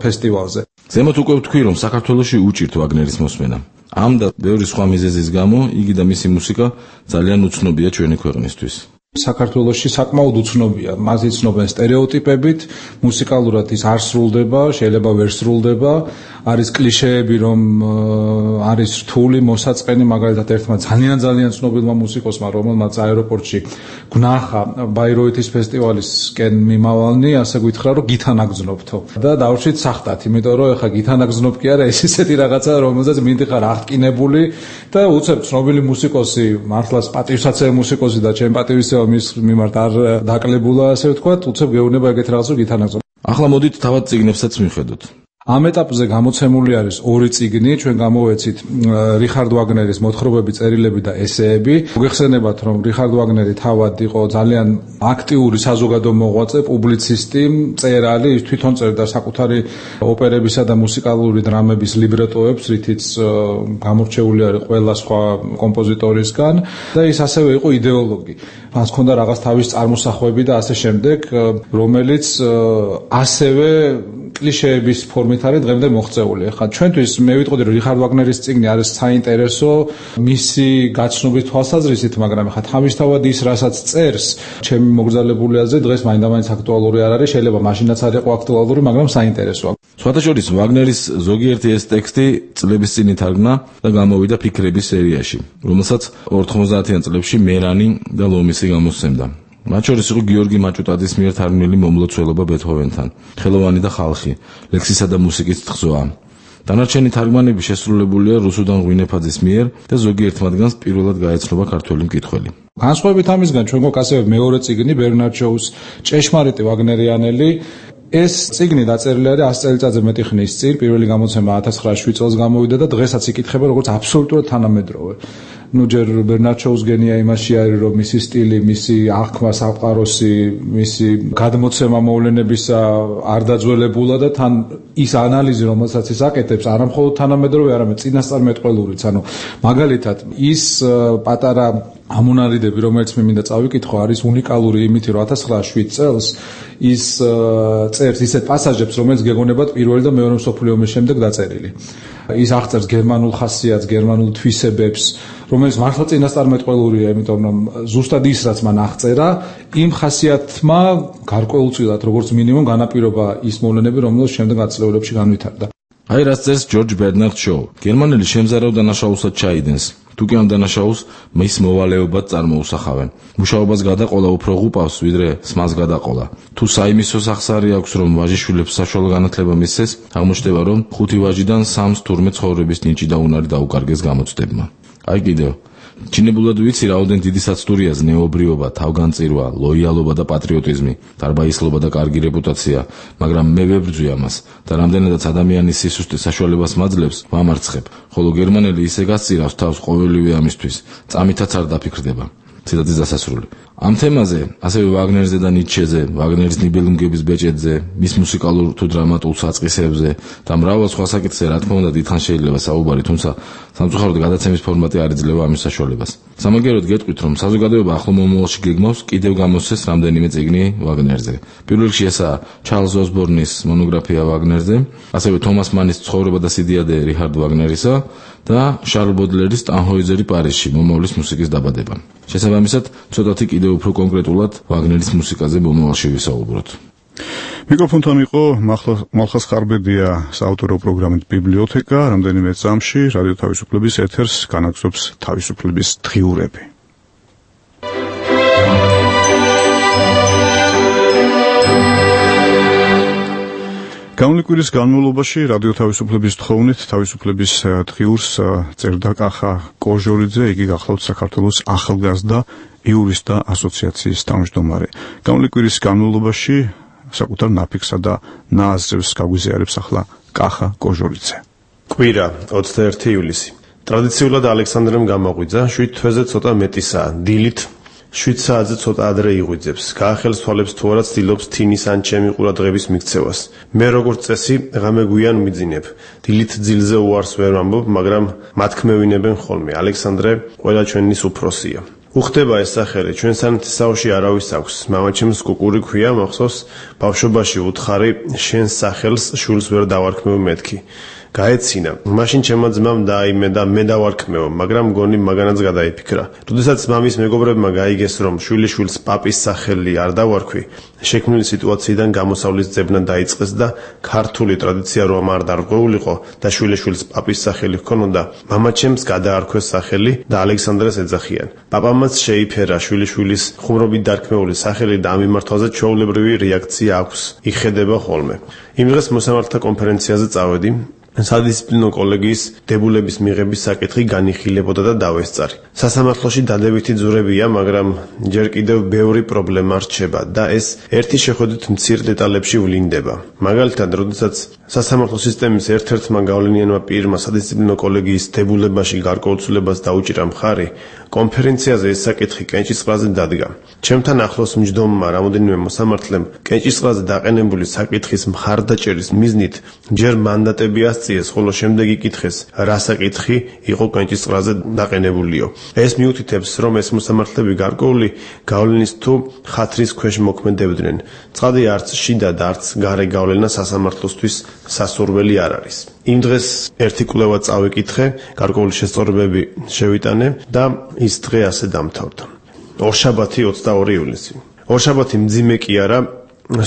ფესტივალზე. ზემოთ უკვე ვთქვი, რომ საქართველოში უჭირთ ვაგნერის მოსმენა. ამ და ბევრი სხვა მიზეზის გამო იგი და მისი მუსიკა ძალიან უცნობია ჩვენი ქვეყნისთვის. საქართველოში საკმაოდ უცნობია, მას იცნობენ სტერეოტიპებით, მუსიკალურად ის არ სრულდება, შეიძლება ვერ სრულდება, არის კლიშეები, რომ არის რთული, მოსაწყენი, მაგალითად ერთმა ძალიან ცნობილმა მუსიკოსმა, რომელმაც აეროპორტში გნახა ბაიროიტის ფესტივალისკენ მიმავალნი, ასე გითხრა, რომ გითანაგზნობთო. და დავრჩით სახტად, იმიტომ რომ ეხა გითანაგზნობ კი არა, ეს ისეთი რაღაცა, რომელზეც მინდიხარ აღტკინებული და უცებ ცნობილი მუსიკოსი, მართლაც პატივსაცემი მუსიკოსი და ჩემ პატივისცემა მის მიმართ არ დაკლებულა, ასე ვთქვათ, უცებ გეუბნება ეგეთ რაღაცას გითანაგზნობ. ახლა მოდით თავად წიგნებსაც მივხედოთ. ამ ეტაპზე გამოცემული არის 2 წიგნი, ჩვენ გამოვეცით რიხარდ ვაგნერის მოთხრობები, წერილები და ესეები. მოგეხსენებათ, რომ რიხარდ ვაგნერი თავად იყო ძალიან აქტიური საზოგადო მოღვაწე, პუბლიცისტი, მწერალი, ის თვითონ წერდა საკუთარი ოპერებისა და მუსიკალური დრამების ლიბრეტოებს, რითიც გამორჩეული არის ყველა სხვა კომპოზიტორისგან და ის ასევე იყო იდეოლოგი. მას ჰქონდა რაღაც თავის წარმოსახვები და ასე შემდეგ, რომელიც ასევე კლიშეების ფორმით არის დღემდე მოღწეული. ახლა ჩვენთვის მე ვიტყოდი, რომ რიხარდ ვაგნერის წიგნი არის საინტერესო მისი გაცნობის თვალსაზრისით, მაგრამ ახლა თავისთავად ის, რასაც წერს, ჩემი მოგზაურებული აზრით დღეს მაინდა-მაინც აქტუალური არ არის, შეიძლება მაშინაც არ იყო აქტუალური, მაგრამ საინტერესოა. სხვათა შორის ვაგნერის ზოგიერთი ეს ტექსტი წლების წინ ითარგმნა და გამოვიდა ფიქრების სერიაში, რომელსაც 90-იან წლებში მერანი და ლომისი გამოსცემდა. მათ შორის იყო გიორგი მაჭუტაძის მიერ თარგმნილი მომლოცველობა ბეთჰოვენთან, ხელოვანი და ხალხი, ლექსისა და მუსიკის თხზვა. დანარჩენი თარგმანები შესრულებულია რუსუდან ღვინეფაძის მიერ და ზოგიერთ მათგანს პირველად გაეცნობა ქართველი მკითხველი. განსხვავებით ამისგან, ჩვენ გვაქვს ასევე მეორე წიგნი ბერნარდ შოუს ჭეშმარიტი ვაგნერიანელი. ეს წიგნი დაწერილი არის 100 წელიწადზე მეტი ხნის წინ, პირველი გამოცემა 1907 წელს გამოვიდა და დღესაც იკითხება როგორც აბსოლუტურად თანამედროვე. ჯერ ბერნარდ შოუს გენია იმაში არის, რომ მისი სტილი, მისი აღქმა სამყაროსი, მისი გადმოცემა მოვლენებისა არ დაძველებულა და თან ის ანალიზი, რომელსაც ის აკეთებს, არა მხოლოდ თანამედროვე, არამედ წინასწარმეტყველურიც. ანუ მაგალითად, ის პატარა ამონარიდები, რომელიც მე მინდა წავიკითხო, არის უნიკალური იმით, რომ 1907 წელს ის წერს ისეთ პასაჟებს, რომელიც გეგონებათ პირველი და მეორე მსოფლიო ომის შემდეგ დაწერილი. ის აღწერს გერმანულ ხასიათს, გერმანულ თვისებებს, რომელიც მართლა წინასწარმეტყველურია, იმიტომ რომ ზუსტად ის, რაც მან აღწერა, იმ ხასიათმა გარკვეულწილად, როგორც მინიმუმ, განაპირობა ის მოვლენები, რომელსაც შემდეგ ათწლეულებში განვითარდა. აი რაც წერს ჯორჯ ბერნარდ შოუ. გერმანელი შემზარავ დანაშაულსაც ჩაიდენს. თუკი ამ დანაშაულს მის მოვალეობად წარმოუსახავენ. მუშაობას გადაყოლა უფრო ღუპავს, ვიდრე სმას გადაყოლა. თუ საიმისო სახსარი აქვს, რომ ვაჟიშვილებს საშუალო განათლება მისცეს, აღმოჩნდება, რომ 5 ვაჟიდან 3-ს თურმე ცხოვრების ნიჭი და უნარი დაუკარგეს გამოცდებმა. აი კიდევ ჩინებულად ვიცი, რაოდენ დიდი საცდურია ზნეობრიობა, თავგანწირვა, ლოიალობა და პატრიოტიზმი, დარბაისლობა და კარგი რეპუტაცია, მაგრამ მე ვებრძვი ამას და რამდენადაც ადამიანის სისუსტე საშუალებას მაძლევს, ვამარცხებ, ხოლო გერმანელი ისე გასწირავს თავს ყოველივე ამისთვის, წამითაც არ დაფიქრდება. ციტატის დასასრული. ამ თემაზე, ასევე ვაგნერზე და ნიცშეზე, ვაგნერის ნიბელუნგების ბეჭედზე, მის მუსიკალურ თუ დრამატულ საწყისებზე და მრავალ სხვა საკითხზე, რა თქმა უნდა, დიდხანს შეიძლება საუბარი, თუმცა სამწუხაროდ გადაცემის ფორმატი არ იძლევა ამის საშუალებას. სამაგიეროდ გეტყვით, რომ საზოგადოება ახლო მომავალში გეგმავს კიდევ გამოსცეს რამდენიმე წიგნი ვაგნერზე. პირველ რიგში ესაა ჩარლზ ოსბორნის მონოგრაფია ვაგნერზე, ასევე თომას მანის ცხოვრება და სიდიადე რიჰარდ ვაგნერისა და შარლ ბოდლერის ტანჰოიზერი პარიზში მომავლის მუსიკის დაბადება. შესაბამისად, ცოტათი კიდევ უფრო კონკრეტულად ვაგნერის მუსიკაზე მომავალში ვისაუბროთ. მიკროფონთან იყო მალხას ხარბედია, საავტორო პროგრამით ბიბლიოთეკა, რამდენიმე წამში რადიო თავისუფლების ეთერს განაგზობს თავისუფლების დღიურები. გამული კვირის განმავლობაში რადიო თავისუფლების თხოვნით თავისუფლების დღიურს წერდა კახა კოჟორიძე, იგი გახლავთ საქართველოს ახალგაზრდა იურისტთა ასოციაციის თავმჯდომარე. გამული კვირის განმავლობაში საკუთარ ნაფიქსა და ნააზრებს გაგვიზიარებს ახლა კახა კოჟორიძე. კვირა 21 ივლისი. ტრადიციულად ალექსანდრემ გამოღვიძა 7 თვეზე ცოტა მეტისაა, დილით 7 საათზე ცოტა ადრე იღვიძებს. გაახელს თვალებს თუ არა ცდილობს თინის ან ჩემი ყურადღების მიქცევას. მე როგორც წესი ღამე გვიან მიძინებ. დილით ძილზე უარს ვერ ვამბობ, მაგრამ მათქმევინებენ ხოლმე. ალექსანდრე ყველა ჩვენის უფროსია. უხდება ეს სახელი, ჩვენ სანათისაოში არავის აქვს. მამაჩემს კუკური ქვია, მახსოვს, ბავშვობაში უთხარი შენს სახელს შულს ვერ დავარქმევ მეთქი. გაეცინა. მაშინ ჩემმა ძმამ დაიმე და მე დავარქმევ, მაგრამ გონი მაგანაც გადაიფიქრა. როდესაც მამის მეგობრებმა გაიგეს, რომ შვილიშვილს პაპის სახელი არ დავარქვი, შექმნილი სიტუაციიდან გამოსავლის ძებნა დაიწყეს და ქართული ტრადიცია რომ არ დარღვეულიყო და შვილიშვილს პაპის სახელი ჰქონოდა, მამაჩემს გადაარქვეს სახელი და ალექსანდრეს ეძახიან. პაპამაც შეიფერა შვილიშვილის ხუმრობით დარქმეული სახელი და ამ მიმართვაზე ჩვეულებრივი რეაქცია აქვს. იხედება ხოლმე. იმ დღეს მოსამართთა კონფერენციაზე წავედი. სადისციპლინო კოლეგიის დებულების მიღების საკითხი განიხილებოდა და დავესწარი. სასამართლოში დადებითი ძვრებია, მაგრამ ჯერ კიდევ ბევრი პრობლემა რჩება და ეს ერთი შეხედვით მცირ დეტალებში ვლინდება. მაგალითად, როდესაც სასამართლო სისტემის ერთ-ერთმა გავლენიანმა პირმა სადისციპლინო კოლეგიის დებულებაში გარკვეულწილებას დაუჭირა მხარი, კონფერენციაზე ეს საკითხი კენჭისყრაზე დადგა. ჩემთან ახლოს მჯდომმა რამოდენიმე მოსამართლემ კენჭისყრაზე დაყენებული საკითხის მხარდაჭერის მიზნით ჯერ მანდატები ასწიეს, ხოლო შემდეგ იკითხეს, რა საკითხი იყო კენჭისყრაზე დაყენებულიო. ეს მიუთითებს, რომ ეს მოსამართლები გარკვეული გავლენის თუ ხათრის ქვეშ მოქმედებდნენ. ცხადია, არც შიდა და არც გარე გავლენა სასამართლოსთვის სასურველი არ არის. იმ დღეს ერთი კვლევა წავიკითხე, გარკვეული შესწორებები შევიტანე და ის დღე ასე დამთავრდა. ორშაბათი 22 ივლისი. ორშაბათი მძიმე კი არა,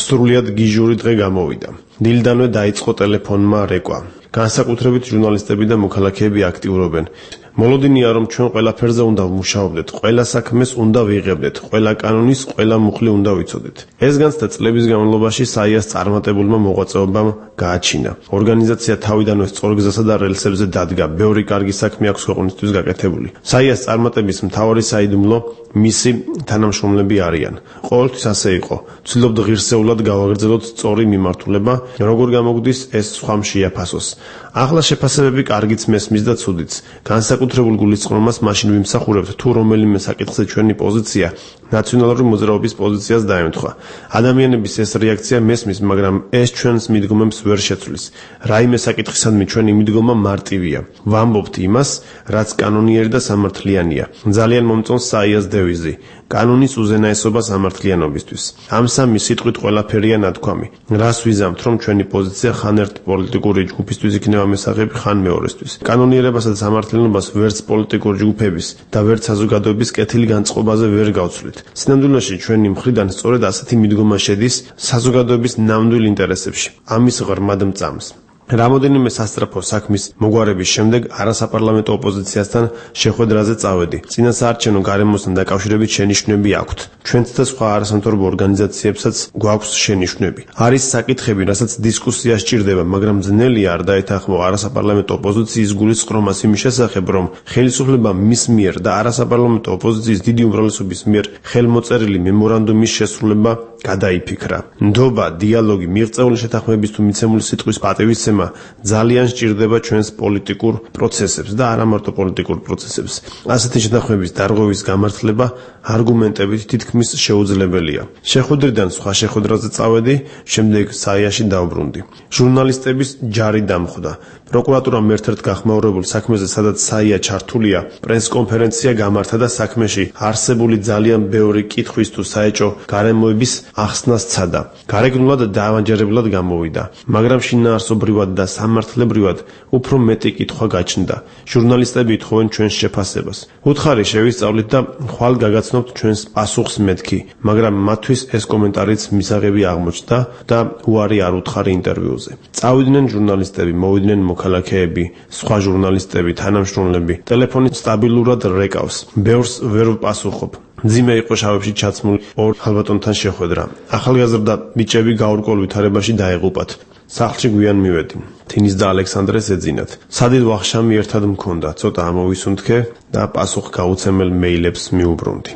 სრულიად გიჟური დღე გამოვიდა. დილიდანვე დაიწყო ტელეფონმა რეკვა. განსაკუთრებით ჟურნალისტები და მოქალაქეები აქტიურობენ. მოლოდინია, რომ ჩვენ ყველაფერზე უნდა ვმუშაობდეთ, ყველა საქმეს უნდა ვიღებდეთ, ყველა კანონის, ყველა მუხლი უნდა ვიცოდეთ. ეს განცდა წლების განმავლობაში საიას წარმატებულმა მოღვაწეობამ გააჩინა. ორგანიზაცია თავიდანვე სწორ გზასა და რელსებზე დადგა, ბევრი კარგი საქმე აქვს ქვეყნისთვის გაკეთებული. საიას წარმატების მთავარი საიდუმლო მისი თანამშრომლები არიან. ყოველთვის ასე იყო. ვცდილობთ ღირსეულად გავაგრძელოთ სწორი მიმართულება, როგორ გამოგვდის ეს სხვამ შეაფასოს. ახლა შეფასებები კარგიც მესმის და ცუდიც. განსაკუთრებულ გულისწყრომას მაშინ ვიმსახურებთ, თუ რომელიმე საკითხზე ჩვენი პოზიცია ნაციონალური მოძრაობის პოზიციას დაემთხვა. ადამიანების ეს რეაქცია მესმის, მაგრამ ეს ჩვენს მიდგომებს ვერ შეცვლის. რაიმე საკითხისადმი ჩვენი მიდგომა მარტივია. ვამბობთ იმას, რაც კანონიერი და სამართლიანია. ძალიან მომწონს საიას დევიზი. კანონის უზენაესობა სამართლიანობისთვის. ამ სამი სიტყვით ყველაფერია ნათქვამი. რას ვიზამთ, რომ ჩვენი პოზიცია ხან ერთ პოლიტიკური ჯგუფისთვის იქნება მესაღები, ხან მეორესთვის. კანონიერებასა და სამართლიანობას ვერც პოლიტიკური ჯგუფების და ვერც საზოგადოების კეთილი განწყობაზე ვერ გავცვლით. სინამდვილეში ჩვენი მხრიდან სწორედ ასეთი მიდგომა შედის საზოგადოების ნამდვილ ინტერესებში. ამის ღრმად მწამს. რამოდენიმე სასწრაფო საქმის მოგვარების შემდეგ არასაპარლამენტო ოპოზიციასთან შეხვედრაზე წავედი. წინასაარჩევნო გარემოსთან დაკავშირებით შენიშვნები აქვთ. ჩვენც და სხვა არასამთავრობო ორგანიზაციებსაც გვაქვს შენიშვნები. არის საკითხები, რასაც დისკუსია სჭირდება, მაგრამ ძნელია არ დაეთანხმო არასაპარლამენტო ოპოზიციის გულისწყრომას იმის შესახებ, რომ ხელისუფლება მის მიერ და არასაპარლამენტო ოპოზიციის დიდი უმრავლესობის მიერ ხელმოწერილი მემორანდუმის შესრულება გადაიფიქრა. ნდობა, დიალოგი, მიღწეული შეთანხმების თუ მიცემული სიტყვის პატივისცემა ძალიან სჭირდება ჩვენს პოლიტიკურ პროცესებს და არა მარტო პოლიტიკურ პროცესებს. ასეთი შეთანხმების დარღვევის გამართლება არგუმენტებით თითქმის შეუძლებელია. შეხვედრიდან სხვა შეხვედრაზე წავედი, შემდეგ საიაში დავბრუნდი. ჟურნალისტების ჯარი დამხვდა. პროკურატურამ ერთ-ერთ გახმაურებულ საქმეზე, სადაც საია ჩართულია, პრესკონფერენცია გამართა და საქმეში არსებული ძალიან ბევრი კითხვის თუ საეჭო გარემოების ახსნას სცადა. გარეგნულად დაავანჯერებლად გამოვიდა, მაგრამ შინაარსობრივად და სამართლებრივად უფრო მეტი კითხვა გაჩნდა. ჟურნალისტები ითხოვენ ჩვენს შეფასებას. უთხარი შევისწავლით და ხვალ გაგაცნობთ ჩვენს პასუხს მეთქი, მაგრამ მათთვის ეს კომენტარიც მისაღები აღმოჩნდა და უარი არ უთხარი ინტერვიუზე. წავიდნენ ჟურნალისტები, მოვიდნენ მოქალაქეები, სხვა ჟურნალისტები, თანამშრომლები. ტელეფონი სტაბილურად რეკავს. ბევრს ვერ ვპასუხობ. მძიმე იყო შავებში ჩაცმული ორ ხალბატონთან შეხვედრა. ახალგაზრდა ბიჭები გაურკვეველ ვითარებაში დაეღუპათ. სახლში გვიან მივედი. თინის და ალექსანდრეს ეძინათ. სადიდ ვახშამი ერთად მქონდა, ცოტა ამოვისუნთქე და პასუხ გაუცემელ მეილებს მიუბრუნდი.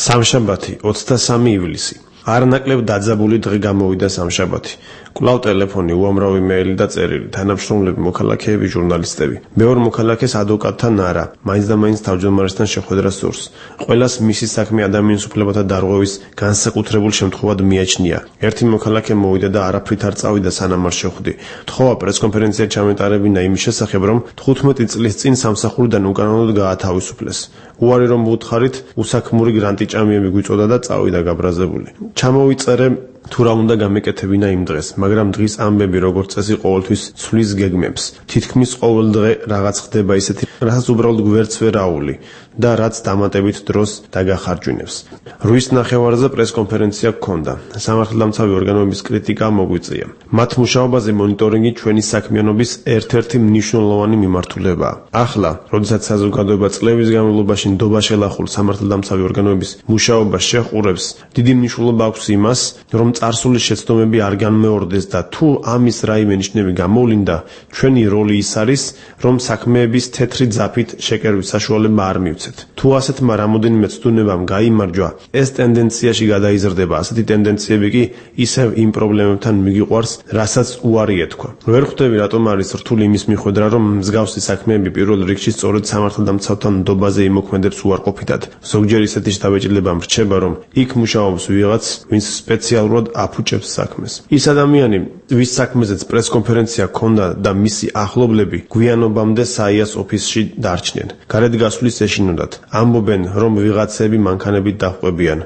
სამშაბათი, 23 ივლისი. არნაკლებ დაძაბული დღე გამოვიდა სამშაბათი. კვლავ ტელეფონი, უამრავი მეილი და წერილი, თანამშრომლები, მოქალაქეები, ჟურნალისტები. მეორე მოქალაქეს ადვოკატთან არა, მაინც და მაინც თავმჯდომარესთან შეხვედრა სურს. ყველას მისი საქმე ადამიანის უფლებათა დარღვევის განსაკუთრებულ შემთხვევად მიაჩნია. ერთი მოქალაქე მოვიდა და არაფრით არ წავიდა სანამ არ შეხვდი. თხოვა პრესკონფერენცია ჩამეტარებინა იმის შესახებ, რომ 15 წლის წინ სამსახურიდან უკანონოდ გაათავისუფლეს. უარი რომ ვუთხარით, უსაქმური გრანტიჭამიები გვიწოდა და წავიდა გაბრაზებული. ჩამოვიწერე თუ რა უნდა გამეკეთებინა იმ დღეს, მაგრამ დღის ამბები როგორც წესი ყოველთვის ცვლის გეგმებს. თითქმის ყოველ დღე რაღაც ხდება ისეთი, რასაც უბრალოდ გვერდს ვერ აული და რაც დამატებით დროს დაგახარჯვინებს. 8-ის ნახევარზე პრესკონფერენცია გქონდა. სამართალდამცავი ორგანოების კრიტიკა მოგვიწია. მათ მუშაობაზე მონიტორინგი ჩვენი საქმიანობის ერთ-ერთი მნიშვნელოვანი მიმართულებაა. ახლა, როდესაც საზოგადოება წლების განმავლობაში ნდობა შელახულ სამართალდამცავი ორგანოების მუშაობას შეჰყურებს, დიდი მნიშვნელობა აქვს იმას, რომ წარსული შეცდომები არ განმეორდეს და თუ ამის რაიმე ნიშნები გამოვლინდა, ჩვენი როლი ის არის, რომ საქმეების თეთრი ძაფით შეკერვის საშუალება არ მივცეთ. თუ ასეთმა რამოდენიმე ცდუნებამ გაიმარჯვა, ეს ტენდენციაში გადაიზრდება. ასეთი ტენდენციები კი ისევ იმ პრობლემებთან მიგიყვარს, რასაც უარი ეთქვა. ვერ ხვდები რატომ არის რთული იმის მიხვედრა, რომ მსგავსი საქმეები პირველ რიგში სწორედ სამართალდამცავთან ნდობაზე იმოქმედებს უარყოფითად. ზოგჯერ ისეთი შთაბეჭდილება მრჩება, რომ იქ მუშაობს ვიღაც, ვინც სპეციალურად აფუჭებს საქმეს. ის ადამიანი, ვის საქმეზეც პრესკონფერენცია ჰქონდა და მისი ახლობლები გვიანობამდე საიას ოფისში დარჩნენ. გარეთ გასვლის ეშინოდათ. ამბობენ, რომ ვიღაცები მანქანებით დაჰყვებიან,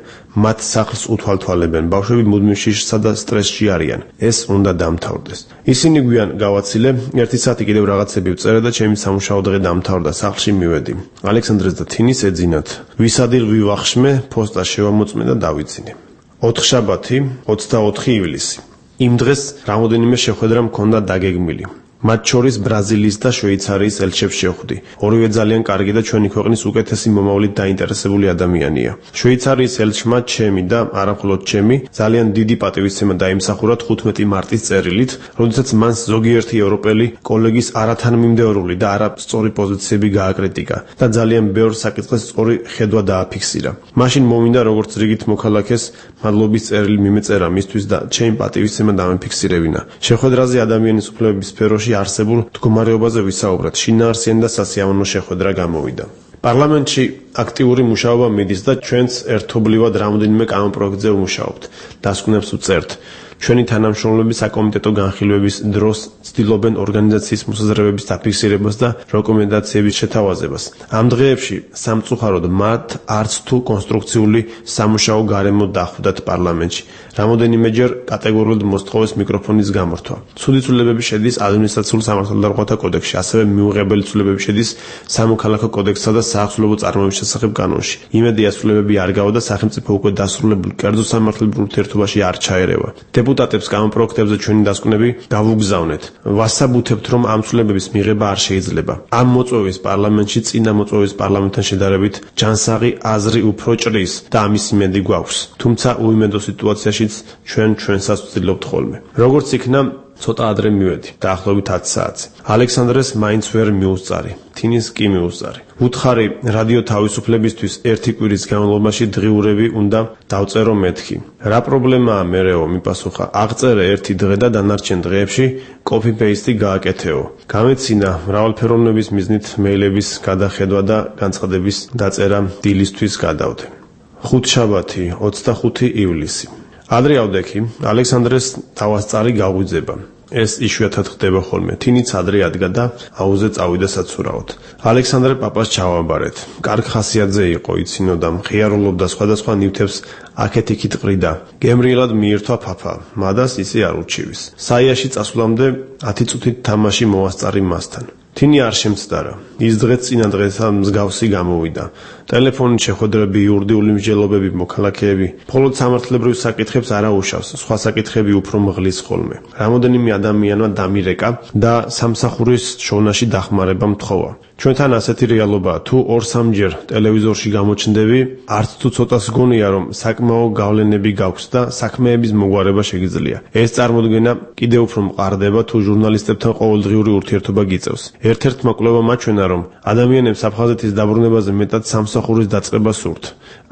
მათ სახლს უთვალთვალებენ, ბავშვები მუდმივ შიშსა და სტრესში არიან. ეს უნდა დამთავრდეს. ისინი გვიან გავაცილე, 1 საათი კიდევ რაღაცები ვწერე და ჩემი სამუშაო დღე დამთავრდა, სახლში მივედი. ალექსანდრეს და თინის ეძინათ. ვისადილ ვივახშმე, ფოსტა შევამოწმე და დავიძინე. 4 შაბათი, 24 ივლისი. იმ დღეს რამოდენიმე შეხვედრა მქონდა დაგეგმილი. მათ შორის ბრაზილიის და შვეიცარიის ელჩებს შევხვდი. ორივე ძალიან კარგი და ჩვენი ქვეყნის უკეთესი მომავლით დაინტერესებული ადამიანია. შვეიცარიის ელჩმა ჩემი და არამხოლოდ ჩემი ძალიან დიდი პატივისცემა დაიმსახურა 15 მარტის წერილით, როდესაც მან ზოგიერთი ევროპელი კოლეგის არათანმიმდევრული და არასწორი პოზიციები გააკრიტიკა და ძალიან ბევრ საკითხს სწორი ხედვა დააფიქსირა. მაშინ მომინდა როგორც რიგით მოქალაქეს მადლობის წერილი მიმეწერა მისთვის და ჩემი პატივისცემა დამიფიქსირებინა. შეხვედრაზე ადამიანის უფლებების სფეროში არსებულ მდგომარეობაზე ვისაუბრეთ. შინაარსიანი და სასიამოვნო შეხვედრა გამოვიდა. პარლამენტში აქტიური მუშაობა მიდის და ჩვენც ერთობლივად რამდენიმე კანონპროექტზე ვმუშაობთ. დასკვნებს ვწერთ. ჩვენი თანამშრომლები საკომიტეტო განხილვების დროს ცდილობენ ორგანიზაციის მოსაზრებების დაფიქსირებას და რეკომენდაციების შეთავაზებას. ამ დღეებში სამწუხაროდ მათ არც თუ კონსტრუქციული სამუშაო გარემო დახვდათ პარლამენტში. რამოდენიმეჯერ კატეგორიულად მოსთხოვეს მიკროფონის გამორთვა. ცუდი ცვლილებები შედის ადმინისტრაციულ სამართალდამცავთა კოდექსში, ასევე მიუღებელი ცვლილებები შედის სამოქალაქო კოდექსსა და საახსოვლებო წარმოების შესახებ კანონში. იმედი ასრულებები არ გავა და სახელმწიფო უკვე დასრულებულ კერძო სამართლებრივ ურთიერთობაში არ ჩაერევა. დეპუტატებს კანონპროექტებზე ჩვენი დასკვნები გავუგზავნეთ. ვასაბუთებთ, რომ ამ ცვლილებების მიღება არ შეიძლება. ამ მოწვევის პარლამენტში წინა მოწვევის პარლამენტთან შედარებით ჯანსაღი აზრი უფრო ჭრის და ამის იმედი გვაქვს. თუმცა უიმედო სიტუაციაში ჩვენსაც ვცდილობთ ხოლმე. როგორც იქნა, ცოტა ადრე მივედი, დაახლოებით 10 საათზე. ალექსანდრეს მაინც ვერ მიუსწარი, თინის კი მიუსწარი. უთხარი რადიო თავისუფლებისთვის ერთი კვირის განმავლობაში დღიურები უნდა დავწერო მეთქი. რა პრობლემაა მერეო, მიპასუხა. აღწერე ერთი დღე და დანარჩენ დღეებში კოპი-პეისტი გააკეთეო. გამეცინა მრავალფეროვნების მიზნით მეილების გადახედვა და განცხადების დაწერა დილისთვის გადავდე. 5 შაბათი, 25 ივლისი. ადრე ავდექი, ალექსანდრეს თავასწარი გაღვიძება. ეს იშვიათად ხდება ხოლმე. თინიც ადრე ადგა და აუზე წავიდა საცურაოდ. ალექსანდრე პაპას ჩავაბარეთ. კარგ ხასიათზე იყო, იცინოდა, მხიარულობდა სხვადასხვა ნივთებს აქეთ-იქით ყრიდა. გემრიელად მიირთვა ფაფა, მადას ისე არ ურჩივის. საიაში წასვლამდე 10 წუთით თამაში მოასწარი მასთან. თინი არ შემცდარა. ის დღეც წინა დღესთან მსგავსი გამოვიდა. ტელეფონით შეხვედრები, იურიდიული მსჯელობები, მოქალაქეები, მხოლოდ სამართლებრივ საკითხებს არ აუშავს, სხვა საკითხები უფრო მღლის ხოლმე. რამოდენიმე ადამიანმა დამირეკა და სამსახურის შოვნაში დახმარება მთხოვა. ჩვენთან ასეთი რეალობაა, თუ 2-3 ტელევიზორში გამოჩნდები, არც თუ ცოტას გონია, რომ საკმაო გავლენები გაქვს და საქმეების მოგვარება შეგიძლია. ეს წარმოდგენა კიდევ უფრო მყარდება, თუ ჟურნალისტებთან ყოველდღიური ურთიერთობა გიწევს. ერთ-ერთმა კვლევამ აჩვენა, რომ ადამიანებს აფხაზეთის დაბრუნებაზე მეტად სამსახურის დაწყება სურთ.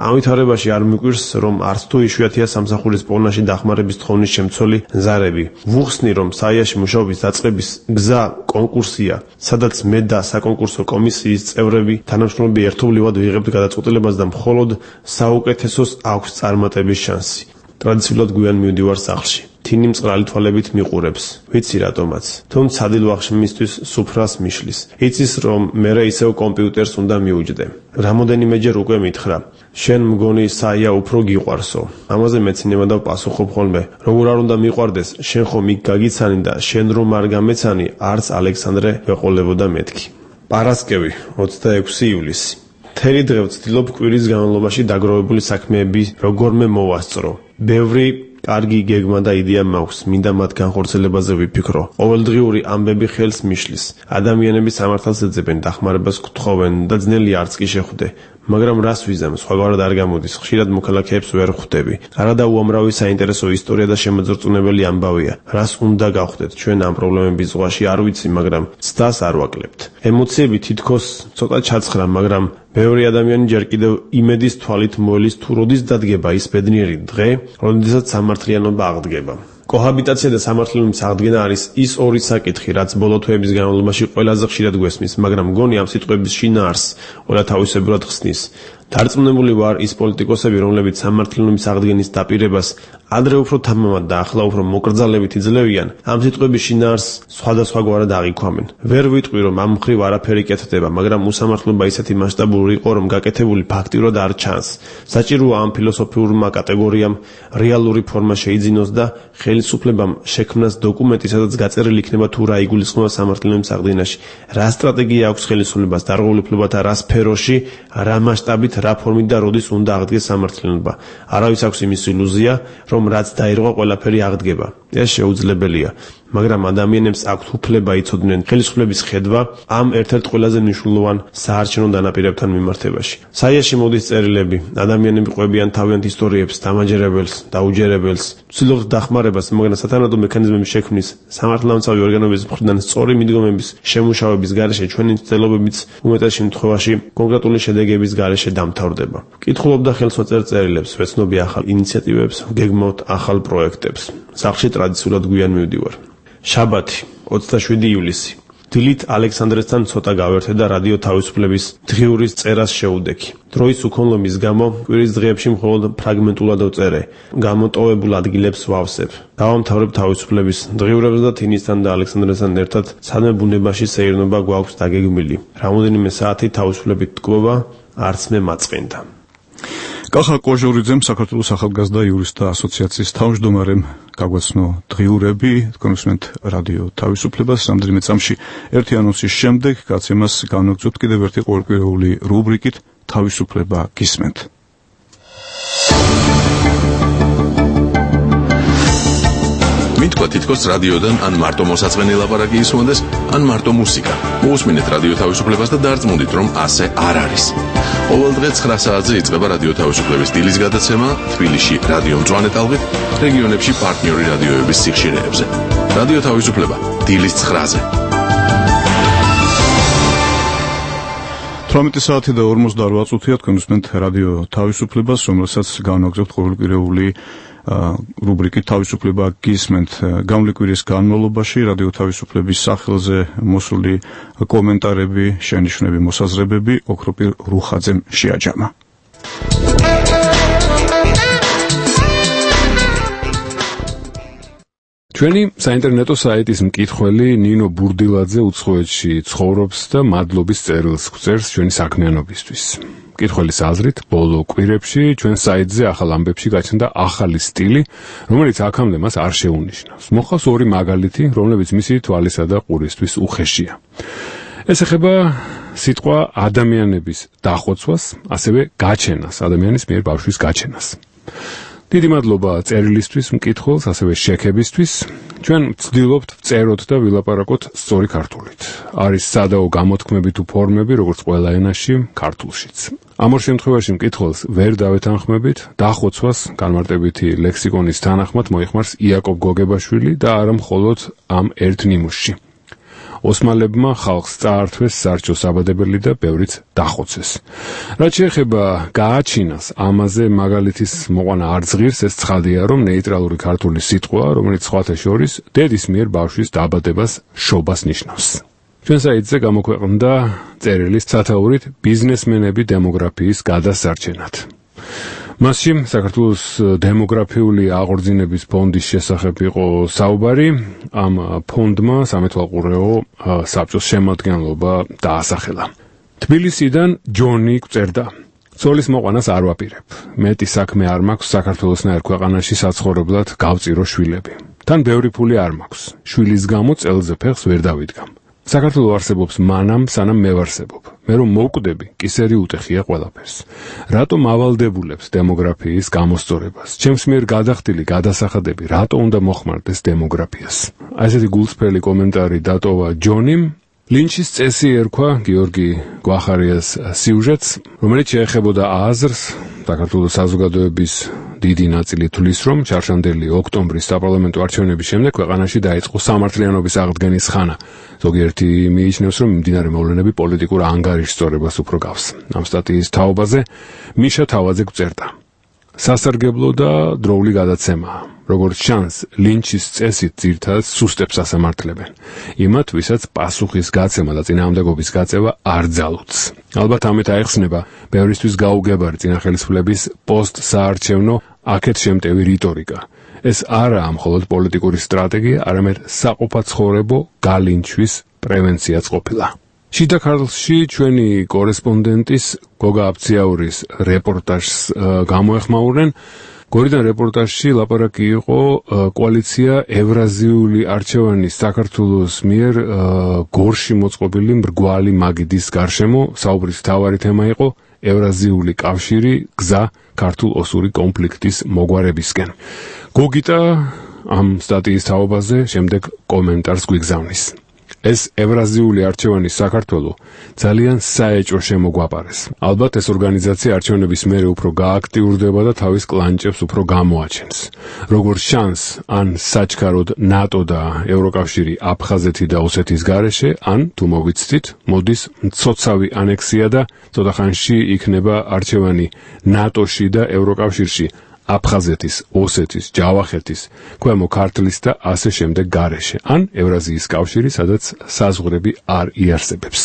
ამ ვითარებაში არ მიგვირს, რომ არც თუ იშვიათია სამსახურის პოვნაში დახმარების თხოვნის შემცველი ზარები. ვუხსნი, რომ საიაში მუშაობის დაწყების გზა კონკურსია, სადაც მე და საკონკურსო კომისიის წევრები თანამშრომლები ერთობლივად ვიღებთ გადაწყვეტილებას და მხოლოდ საუკეთესოს აქვს წარმატების შანსი. ტრადიციულად გვიან მივდივარ სახლში. თინი მწყრალი თვალებით მიყურებს. ვიცი რატომაც. თუმცა სადილვახშმისთვის სუფრას მიშლის. იცის, რომ მერე ისევ კომპიუტერს უნდა მიუჯდე. რამოდენიმეჯერ უკვე მითხრა. შენ მგონი საია უფრო გიყვარსო. ამაზე მეცინება და პასუხობ ხოლმე. როგორ არ უნდა მიყვარდეს, შენ ხომ იქ გაგიცანი და შენ რომ არ გამეცანი, არც ალექსანდრე ვეყოლებოდა მეთქი. პარასკევი, 26 ივლისი. მთელი დღე ვცდილობ კვირის განმავლობაში დაგროვებული საქმეები როგორმე მოვასწრო. ბევრი კარგი გეგმა და იდეა მაქვს, მინდა მათ განხორციელებაზე ვიფიქრო. ყოველდღიური ამბები ხელს მიშლის. ადამიანები სამართალს ეძებენ, დახმარებას გთხოვენ და ძნელი არც კი შეხვდე. მაგრამ რას ვიზამ, სხვაგვარად არ გამოდის, ხშირად მოქალაქეებს ვერ ხვდები. არადა უამრავი საინტერესო ისტორია და შემოძრწუნებელი ამბავია. რას უნდა გავხდეთ, ჩვენ ამ პრობლემების ზღვაში არ ვიცი, მაგრამ ცდას არ ვაკლებთ. ემოციები თითქოს ცოტა ჩაცხრა, მაგრამ ბევრი ადამიანი ჯერ კიდევ იმედის თვალით მოელის, თუ როდის დადგება ის ბედნიერი დღე, როდესაც სამართლიანობა აღდგება. კოჰაბიტაცია და სამართლიანობის აღდგენა არის ის ორი საკითხი, რაც ბოლო თვეების განმავლობაში ყველაზე ხშირად გვესმის, მაგრამ მგონი ამ სიტყვების შინაარსს ყველა თავისებურად ხსნის. დარწმუნებული ვარ, ის პოლიტიკოსები, რომლებიც სამართლიანობის აღდგენის დაპირებას ადრე უფრო თამამად და ახლა უფრო მოკრძალებით იძლევიან, ამ სიტყვების შინაარსს სხვადასხვაგვარად აღიქვამენ. ვერ ვიტყვი, რომ ამ მხრივ არაფერი კეთდება, მაგრამ უსამართლობა ისეთი მასშტაბური იყო, რომ გაკეთებული ფაქტიურად არ ჩანს. საჭიროა ამ ფილოსოფიურმა კატეგორიამ რეალური ფორმა შეიძინოს და ხელისუფლებამ შექმნას დოკუმენტი, სადაც გაწერილი იქნება თუ რა იგულისხმება სამართლიანობის აღდგენაში, რა სტრატეგია აქვს ხელისუფლებას დარღვევლებლობათა რა სფეროში, რა მასშტაბით, რა ფორმით და როდის უნდა აღდგეს სამართლიანობა. არავის აქვს იმის ილუზია, რომ რაც დაირღვა ყველაფერი აღდგება. ეს შეუძლებელია, მაგრამ ადამიანებს აქვთ უფლება იცოდნენ ხელისუფლების ხედვა ამ ერთ-ერთ ყველაზე მნიშვნელოვან საარჩევნო დანაპირებთან მიმართებაში. საიაში მოდის წერილები, ადამიანები ყვებიან თავიანთ ისტორიებს, დამაჯერებელს, დაუჯერებელს, ცდილობთ დახმარებას, მაგრამ სათანადო მექანიზმების შექმნის, სამართალდამცავი ორგანოების მხრიდან სწორი მიდგომების შემუშავების გარეშე ჩვენი მცდელობებიც უმეტეს შემთხვევაში კონკრეტული შედეგების გარეშე დამთავრდება. კითხულობდა ხელსვაწერ წერილებს, ვეცნობი ახალ ინიციატივებს, გეგმავთ ახალ პროექტებს. სახლში ტრადიციულად გვიან მივდივარ. შაბათი, 27 ივლისი. დილით ალექსანდრესთან ცოტა გავერთე და რადიო თავისუფლების დღიურის წერას შეუდექი. დროის უქონლობის გამო კვირის დღეებში მხოლოდ ფრაგმენტულად ვწერე. გამოტოვებულ ადგილებს ვავსებ. დავამთავრებ თავისუფლების დღიურებს და თინისთან და ალექსანდრესთან ერთად სადმე ბუნებაში სეირნობა გვაქვს დაგეგმილი. რამოდენიმე საათი თავისუფლებით ტკბობა არც მე მაწყენდა. კახა კოჟორიძემ საქართველოს ახალგაზრდა იურისტთა ასოციაციის თავმჯდომარემ გაგვაცნო დღიურები, თქვენსმენთ რადიო თავისუფლებას. რამდენიმე წამში ერთი ანონსის შემდეგ გაცემას განვაგრძობთ კიდევ ერთი ყოველკვირეული რუბრიკით თავისუფლება გისმენთ. მითქვა თითქოს რადიოდან ან მარტო მოსაწყენი ლაპარაკი ისმოდეს, ან მარტო მუსიკა. მოусმინეთ რადიო თავისუფლებას და დარწმუნდით, რომ ასე არ არის. ყოველ დღე 9 საათზე იწყება რადიო თავისუფლების დილის გადაცემა თბილისში რადიო მწვანე ტალღით, რეგიონებში პარტნიორი რადიოების სიხშირეებზე. რადიო თავისუფლება დილის 9-ზე. 18 საათი და 48 წუთია თქვენსმენთ რადიო თავისუფლებას, რომელსაც განვაგრძობთ ყოველკვირეული რუბრიკით თავისუფლება გისმენთ. გამლეკვირის განმავლობაში რადიო თავისუფლების სახელზე მოსული კომენტარები, შენიშვნები, მოსაზრებები ოქროპირ რუხაძემ შეაჯამა. ჩვენი საინტერნეტო საიტის მკითხველი ნინო ბურდილაძე უცხოეთში ცხოვრობს და მადლობის წერილს გვწერს ჩვენი საქმიანობისთვის. მკითხველის აზრით, ბოლო კვირებში ჩვენ საიტზე ახალ ამბებში გაჩნდა ახალი სტილი, რომელიც აქამდე მას არ შეუნიშნავს. მოხავს ორი მაგალითი, რომლებიც მისი თვალისა და ყურისთვის უხეშია. ეს ეხება სიტყვა ადამიანების დახოცვას, ასევე გაჩენას, ადამიანის მიერ ბავშვის გაჩენას. დიდი მადლობა წერილისთვის, მკითხველს, ასევე შექებისთვის. ჩვენ ვცდილობთ ვწეროთ და ვილაპარაკოთ სწორი ქართულით. არის სადაო გამოთქმები თუ ფორმები, როგორც ყველა ენაში, ქართულშიც. ამ ორ შემთხვევაში მკითხველს ვერ დავეთანხმებით, დახოცვას განმარტებითი ლექსიკონის თანახმად მოიხმარს იაკობ გოგებაშვილი და არა მხოლოდ ამ ერთ ნიმუშში. ოსმალებმა ხალხს წაართვეს სარჩოს აბადებელი და ბევრიც დახოცეს. რაც შეეხება გააჩინას, ამაზე მაგალითის მოყვანა არ ზღირს, ეს ცხადია, რომ ნეიტრალური ქართული სიტყვაა, რომელიც სხვათა შორის დედის მიერ ბავშვის დაბადებას, შობას ნიშნავს. ჩვენ საიტზე გამოქვეყნდა წერილის სათაურით ბიზნესმენები დემოგრაფიის გადასარჩენად. მასში საქართველოს დემოგრაფიული აღორძინების ფონდის შესახებ იყო საუბარი. ამ ფონდმა სამეთვალყურეო საბჭოს შემადგენლობა დაასახელა. თბილისიდან ჯონი გვწერდა: ცოლის მოყვანას არ ვაპირებ. მეტი საქმე არ მაქვს საქართველოსნაირ ქვეყანაში საცხოვრებლად გავწირო შვილები. თან ბევრი ფული არ მაქვს. შვილის გამო წელზე ფეხს ვერ დავიდგამ. საქართველო არსებობს მანამ, სანამ მე ვარსებობ. მე რომ მოვკვდები, კისერი უტეხია ყველაფერს. რატომ ავალდებულებს დემოგრაფიის გამოსწორებას? ჩემს მიერ გადახდილი გადასახადები რატო უნდა მოხმარდეს დემოგრაფიას? ასეთი გულწრფელი კომენტარი დატოვა ჯონიმ. ლინჩის წესი ერქვა გიორგი გვახარიას სიუჟეტს, რომელიც შეეხებოდა აზრს, საქართველოს საზოგადოების დიდი ნაწილი თვლის, რომ ჩარშანდელი ოქტომბრის საპარლამენტო არჩევნების შემდეგ ქვეყანაში დაიწყო სამართლიანობის აღდგენის ხანა. ზოგიერთი მიიჩნევს, რომ მიმდინარე მოვლენები პოლიტიკურ ანგარიშსწორებას უფრო გავს. ამ სტატიის თაობაზე მიშა თავაძე გვწერდა: სასარგებლო და დროული გადაცემაა. როგორც ჩანს, ლინჩის წესით ძირთადად სუსტებს ასამართლებენ. იმათ, ვისაც პასუხის გაცემა და წინააღმდეგობის გაწევა არ ძალუძს. ალბათ ამით აიხსნება ბევრისთვის გაუგებარი წინახელისფლების პოსტსაარჩევნო აქეთ შემტევი რიტორიკა. ეს არაა მხოლოდ პოლიტიკური სტრატეგია, არამედ საყოფაცხოვრებო გალინჩვის პრევენციაც ყოფილა. შიდა ქართლში ჩვენი კორესპონდენტის გოგა აბციაურის რეპორტაჟს გამოეხმაურნენ. გორიდან რეპორტაჟში ლაპარაკი იყო კოალიცია ევრაზიული არჩევანის საქართველოს მიერ გორში მოწყობილი მრგვალი მაგიდის გარშემო. საუბრის მთავარი თემა იყო ევრაზიული კავშირი, გზა ქართულ-ოსური კონფლიქტის მოგვარებისკენ. გოგიტა ამ სტატიის თაობაზე შემდეგ კომენტარს გვიგზავნის. ეს ევრაზიული არჩევანის საქართველო ძალიან საეჭვო შემოგვაპარეს. ალბათ ეს ორგანიზაცია არჩევნების მერე უფრო გააქტიურდება და თავის კლანჭებს უფრო გამოაჩენს. როგორც ჩანს, ან საჩქაროდ ნატო და ევროკავშირი აფხაზეთი და ოსეთის გარეშე, ან თუ მოვიცდით, მოდის მცოცავი ანექსია და ცოტა ხანში იქნება არჩევანი ნატოში და ევროკავშირში. აფხაზეთის, ოსეთის, ჯავახეთის, ქვემო ქართლის და ასე შემდეგ გარეშე, ან ევრაზიის კავშირი, სადაც საზღვრები არ იარსებებს.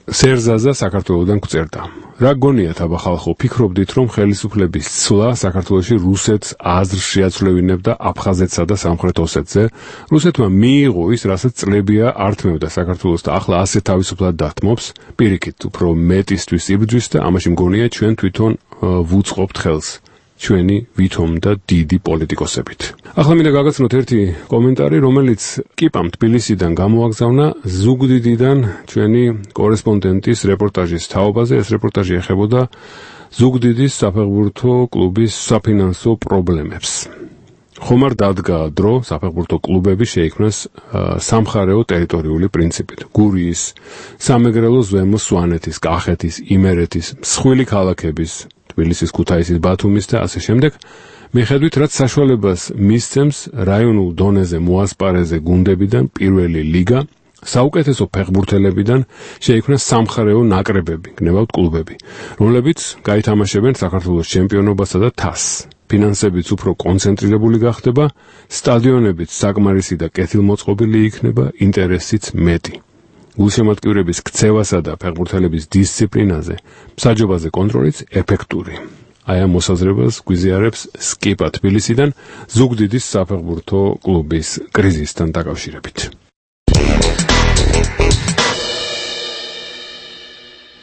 სერზაზა საქართველოდან გვწერდა: რა გონიათ აბა ხალხო, ფიქრობდით რომ ხელისუფლების ცვლა საქართველოში რუსეთს აზრს შეაცვლევინებდა აფხაზეთსა და სამხრეთ ოსეთზე? რუსეთმა მიიღო ის, რასაც წლებია ართმევდა საქართველოს და ახლა ასე თავისუფლად დათმობს? პირიქით, უფრო მეტისთვის იბრძვის და ამაში მგონია ჩვენ თვითონ ვუწყობთ ხელს. ჩვენი ვითომ და დიდი პოლიტიკოსებით. ახლა მინდა გაგაცნოთ ერთი კომენტარი, რომელიც კიპამ თბილისიდან გამოაგზავნა ზუგდიდიდან ჩვენი კორესპონდენტის რეპორტაჟის თაობაზე. ეს რეპორტაჟი ეხებოდა ზუგდიდის საფეხბურთო კლუბის საფინანსო პრობლემებს. ხომ არ დადგა დრო საფეხბურთო კლუბები შეიქმნას სამხარეო ტერიტორიული პრინციპით. გურიის, სამეგრელოს ზემო სვანეთის, კახეთის, იმერეთის, მსხვილი ქალაქების, თბილისის, ქუთაისის, ბათუმის და ასე შემდეგ, მიხედვით რაც საშუალებას მისცემს რაიონულ დონეზე მოასპარეზე გუნდებიდან პირველი ლიგა, საუკეთესო ფეხბურთელებიდან შეიქმნა სამხარეო ნაკრებები, გნებავთ კლუბები, რომლებიც გაითამაშებენ საქართველოს ჩემპიონობასა და თასს. ფინანსებიც უფრო კონცენტრირებული გახდება, სტადიონებიც საკმარისი და კეთილმოწყობილი იქნება, ინტერესიც მეტი. გულშემატკივრების ქცევასა და ფეხბურთელების დისციპლინაზე, მსაჯობაზე კონტროლიც ეფექტური. აი ამ მოსაზრებას გვიზიარებს სკიპა თბილისიდან ზუგდიდის საფეხბურთო კლუბის კრიზისთან დაკავშირებით.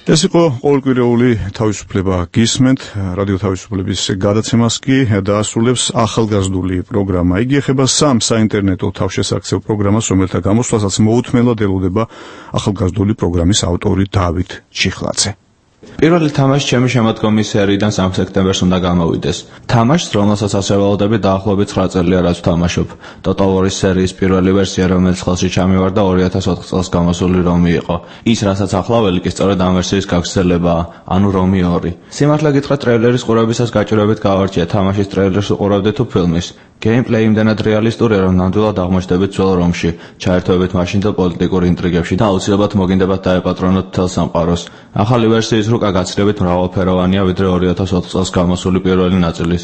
ეს იყო ყოველკვირეული თავისუფლება გისმენთ, რადიო თავისუფლების გადაცემას კი დაასრულებს ახალგაზრდული პროგრამა. იგი ეხება სამ საინტერნეტო თავშესაქცევ პროგრამას, რომელთა გამოსვლასაც მოუთმენლად ელოდება ახალგაზრდული პროგრამის ავტორი დავით ჩიხლაძე. პირველი თამაში ჩემი შემოდგომის სერიიდან 3 სექტემბერს უნდა გამოვიდეს. თამაშს, რომელსაც ასე ველოდები, დაახლოებით 9 წელია რაც ვთამაშობ. Total War-ის სერიის პირველი ვერსია, რომელიც ხელში ჩამივარდა 2004 წელს გამოსული რომი იყო. ის, რასაც ახლა ველიკი სწორედ ამ ვერსიის გაგრძელებაა, ანუ რომი 2. სიმართლე გითხრათ, ტრეილერის ყურებისას გაჭირვებით გავარჩია თამაშის ტრეილერს უყურავდით თუ ფილმის. Gameplay იმდენად რეალისტურია, რომ ნამდვილად აღმოჩნდებით ძველ რომში, ჩაერთვებით მაშინდელ პოლიტიკურ ინტრიგებში და აუცილებლად მოგინდებათ დაეპატრონოთ მთელ სამყაროს. ახალი ვერსიის რუკა გაცილებით მრავალფეროვანია, ვიდრე 2004 წელს გამოსული პირველი ნაწილის.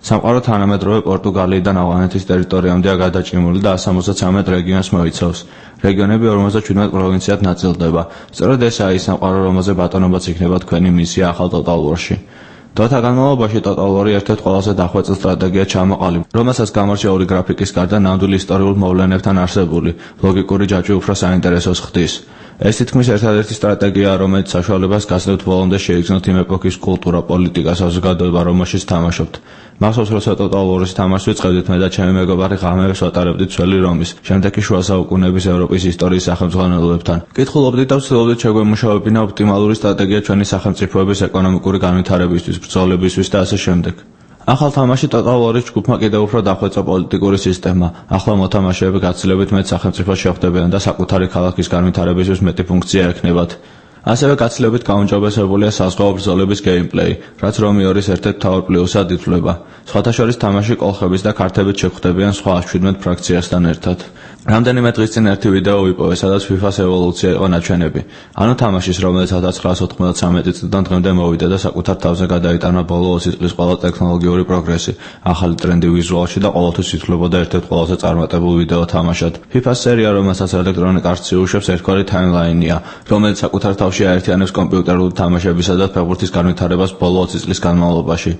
სამყარო თანამედროვე პორტუგალიიდან ავღანეთის ტერიტორიამდეა გადაჭიმული და 173 რეგიონს მოიცავს. რეგიონები 57 პროვინციად ნაწილდება. სწორედ ესაა ის სამყარო, რომელზე ბატონობაც იქნება თქვენი მისია ახალ Total War-ში. დროთა განმავლობაში Total War-ი ერთ-ერთ ყველაზე დახვეწილ სტრატეგიად ჩამოყალიბდა, რომელსაც გამორჩა ორი გრაფიკის გარდა ნამდვილ ისტორიულ მოვლენებთან არსებული ლოგიკური ჯაჭვი უფრო საინტერესოს ხდის. ეს თითქმის ერთადერთი სტრატეგიაა, რომელიც საშუალებას გასცემთ ბოლომდე შეიგრძნოთ იმ ეპოქის კულტურა, პოლიტიკა, საზოგადოება, რომელშიც თამაშობთ. მახსოვს, როცა Total War-ის თამაშს ვიწყებდით, მე და ჩემი მეგობარი ღამეებს ვატარებდით ძველი რომის, შემდეგ კი შუა საუკუნეების ევროპის ისტორიის სახელმძღვანელოებთან. კითხულობდით და ვცდილობდით შეგვემუშავებინა ოპტიმალური სტრატეგია ჩვენი სახელმწიფოების ეკონომიკური განვითარებისთვის, ბრძოლებისთვის და ასე შემდეგ. ახალ თამაში Total War-ის ჯგუფმა კიდევ უფრო დახვეწა პოლიტიკური სისტემა. ახლა მოთამაშეები გაცილებით მეტ სახელმწიფოს შეხვდებიან და საკუთარი ქალაქის განვითარებისთვის მეტი ფუნქცია ექნებათ. ასევე გაცილებით გაუმჯობესებულია საზღვაო ბრძოლების გეიმპლეი, რაც რომი 2-ის ერთ-ერთ მთავარ პლუსად ითვლება. სხვათა შორის თამაში კოლხების და ქართებით შეხვდებიან სხვა 17 ფრაქციასთან ერთად. რამდენიმე დღის წინ ერთი ვიდეო ვიპოვე, სადაც FIFA-ს ევოლუცია იყო ნაჩვენები. ანუ თამაშის, რომელიც 1993 წლიდან დღემდე მოვიდა და საკუთარ თავზე გადაიტანა ბოლო 20 წლის ყველა ტექნოლოგიური პროგრესი, ახალი ტრენდი ვიზუალში და ყოველთვის ითვლებოდა ერთ-ერთ ყველაზე წარმატებულ ვიდეო თამაშად. FIFA-ს სერია, რომელსაც Electronic Arts იუშვებს, ერთგვარი ტაიმლაინია, რომელიც საკუთარ თავში აერთიანებს კომპიუტერული თამაშებისა და ფეხბურთის განვითარებას ბოლო 20 წლის განმავლობაში.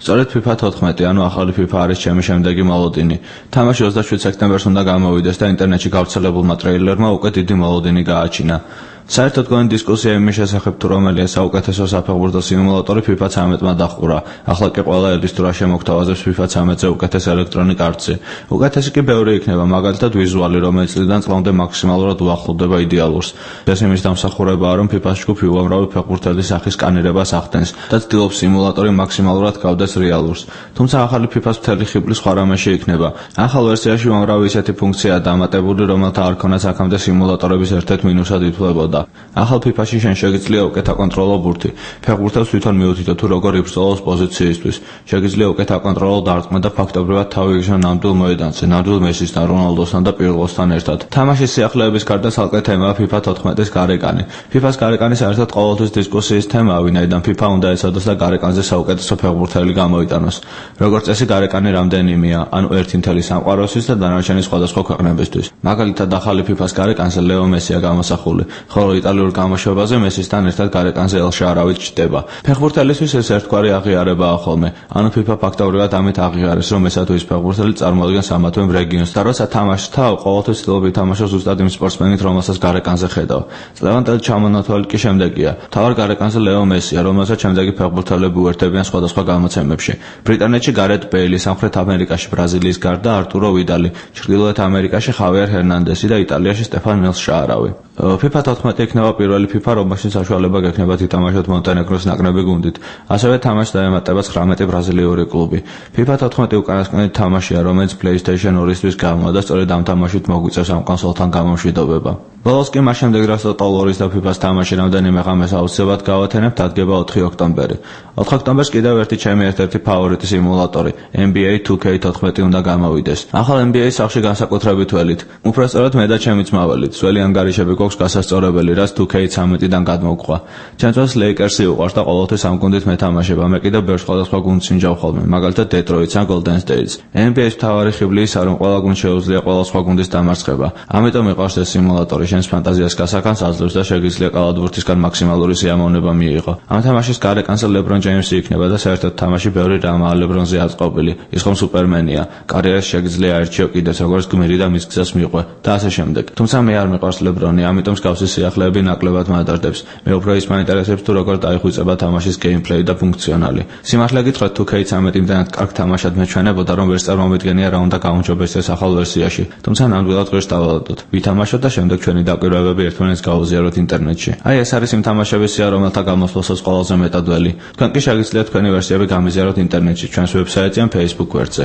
სწორედ FIFA 14, ანუ ახალი FIFA არის ჩემი შემდეგი მოლოდინი. თამაში 27 სექტემბერს უნდა გამოვიდეს და ინტერნეტში გავრცელებულმა ტრეილერმა უკვე დიდი მოლოდინი გააჩინა. საერთოდ გონი დისკუსია იმის შესახებ, თუ რომელია საუკეთესო საფეხბურთო სიმულატორი FIFA 13-მა დახურა. ახლა კი ყველა ელის თუ რა შემოგთავაზებს FIFA 13-ზე უკეთეს Electronic Arts-ი. უკეთესი კი ბევრი იქნება, მაგალითად ვიზუალი, რომელიც წლიდან წლამდე მაქსიმალურად უახლოვდება იდეალურს. ეს იმის დამსახურებაა, რომ FIFA-ს ჯგუფი უამრავი ფეხბურთელის სახის სკანირებას ახდენს და ცდილობს სიმულატორი მაქსიმალურად გავდეს რეალურს. თუმცა ახალი FIFA-ს მთელი ხიბლი სხვა რამეში იქნება. ახალ ვერსიაში უამრავი ისეთი ფუნქციაა დამატებული, რომელთა არ ქონაც აქამდე სიმულატორების ერთ-ერთ მინუსად ითვლებოდა. ახალ FIFA-ში შენ შეგიძლია უკეთ აკონტროლო ბურთი. ფეხბურთელს თვითონ მიუთითო თუ როგორ იბრძოლოს პოზიციისთვის. შეგიძლია უკეთ აკონტროლო დარტყმა და ფაქტობრივად თავი იგზნო ნამდვილ მოედანზე, ნამდვილ მესისთან, რონალდოსთან და პირლოსთან ერთად. თამაშის სიახლეების გარდა ცალკე თემაა FIFA 14-ის გარეკანი. FIFA-ს გარეკანი საერთოდ ყოველთვის დისკუსიის თემაა, ვინაიდან FIFA უნდა ეცადოს და გარეკანზე საუკეთესო ფეხბურთელი გამოიტანოს. როგორც წესი, გარეკანი რამდენიმეა, ანუ ერთი მთელი სამყაროსთვის და დანარჩენი სხვადასხვა ქვეყნებისთვის. მაგალითად, ახალი FIFA-ს გარეკანზე ლეო მესია გამოსახული, ხოლო იტალიურ გამოშვებაზე მესისთან ერთად გარეკანზე ელ შარავი ჩნდება. ფეხბურთელისთვის ეს ერთგვარი აღიარებაა ხოლმე, ანუ FIFA ფაქტობრივად ამით აღიარეს, რომ ესა თუ ის ფეხბურთელი წარმოადგენს ამათვე რეგიონს და როცა თამაშს თავ ყოველთვის ცდილობ ითამაშოს ზუსტად იმ სპორტსმენით, რომელსაც გარეკანზე ხედავ. წლევანდელი ჩამონათვალი კი შემდეგია. თავარ გარეკანზე ლეო მესია, რომელსაც შემდეგი ფეხბურთელები უერთდებიან სხვადასხვა გამოცემებში. ბრიტანეთში გარეთ ბეილი, სამხრეთ ამერიკაში ბრაზილიის გარდა არტურო ვიდალი, ჩრდილოეთ ამერიკაში ხავიერ ჰერნანდესი და იტალიაში სტეფან მელს შარავი. FIFA 14 იქნება პირველი FIFA, რომელშიც საშუალება გექნებათ ითამაშოთ მონტენეგროს ნაკრები გუნდით. ასევე თამაშს დაემატება 19 ბრაზილიური კლუბი. FIFA 14 უკანასკნელი თამაშია, რომელიც PlayStation 2-ისთვის გამოვა და სწორედ ამ თამაშით მოგვიწევს ამ კონსოლთან გამომშვიდობება. ბოლოს კი მას შემდეგ, რაც Total War-ის და FIFA-ს თამაში რამდენიმე ღამეს აუცილებლად გავათენებთ, დადგება 4 ოქტომბერი. 4 ოქტომბერს კიდევ ერთი ჩემი ერთ-ერთი ფავორიტი სიმულატორი, NBA 2K14 უნდა გამოვიდეს. ახალ NBA-ს სახში განსაკუთრებით ველით. უბრალოდ მე და ჩემი ძმაველით, ძველი ანგარიშები გვაქვს გასასწორებელი, რაც 2K13-დან გადმოგყვა. ჩემთვის Lakers-ი უყვარს და ყოველთვის ამ გუნდით მეთამაშება. მე კიდევ ბევრ სხვადასხვა გუნდს ვინჯავ ხოლმე, მაგალითად Detroit-ს ან Golden State-ს. NBA-ს მთავარი ხიბლი ისაა, რომ ყველა გუნდს შეუძლია ყველა სხვა გუნდის დამარცხება. ამიტომ მიყვარს ეს სიმულატორი. შენს ფანტაზიას გასახანს აძლევს და შეგიძლია კალათბურთისგან მაქსიმალური სიამოვნება მიიღო. ამ თამაშის გარეკანზე LeBron James-ი იქნება და საერთოდ თამაში ბევრი რამაა LeBron-ზე აწყობილი. ის ხომ სუპერმენია. კარიერას შეგიძლია აერჩიო კიდეც როგორც გმირი და მის გზას მიყვე და ასე შემდეგ. თუმცა მე არ მიყვარს LeBron-ი, ამიტომ მსგავსი სიახლეები ნაკლებად მადარდებს. მე უფრო ის მაინტერესებს თუ როგორ დაიხვიწება თამაშის გეიმპლეი და ფუნქციონალი. სიმართლე გითხრათ, თუ K-13 იმდანაც კარგ თამაშად მეჩვენებოდა, რომ ვერც წარმომედგენია რა უნდა გაუმჯობესდეს ეს ახალ ვერსიაში. თუმცა ნამდვილად ღირს დავალოდოთ. ვითამაშოთ და შემდეგ ჩვენი დაკვირვებები ერთმანეთს გავუზიაროთ ინტერნეტში. აი ეს არის იმ თამაშების სია, რომელთა გამოსვლასაც ყველაზე მეტად ველი. თქვენ კი შეგიძლიათ თქვენი ვერსიები გამიზიაროთ ინტერნეტში, ჩვენს ვებსაიტზე ან Facebook გვერდზე.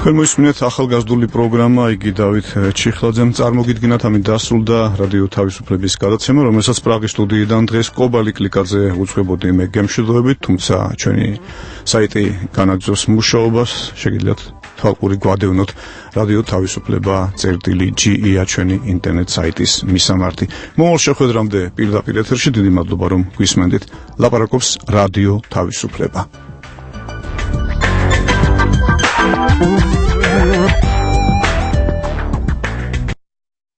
თქვენ მოისმინეთ ახალგაზრდული პროგრამა იგი დავით ჩიხლაძემ წარმოგიდგენათ ამით დასრულდა რადიო თავისუფლების გადაცემა, რომელსაც პრაღის სტუდიიდან დღეს კობალი კლიკაძე უძღვებოდი მე გემშვიდობებით, თუმცა ჩვენი საიტი განაგრძობს მუშაობას, შეგიძლიათ თვალყური გვადევნოთ რადიო თავისუფლება.ge-ია ჩვენი ინტერნეტ საიტის მისამართი. მომავალ შეხვედრამდე პირდაპირ ეთერში დიდი მადლობა რომ გვისმენდით. ლაპარაკობს რადიო თავისუფლება.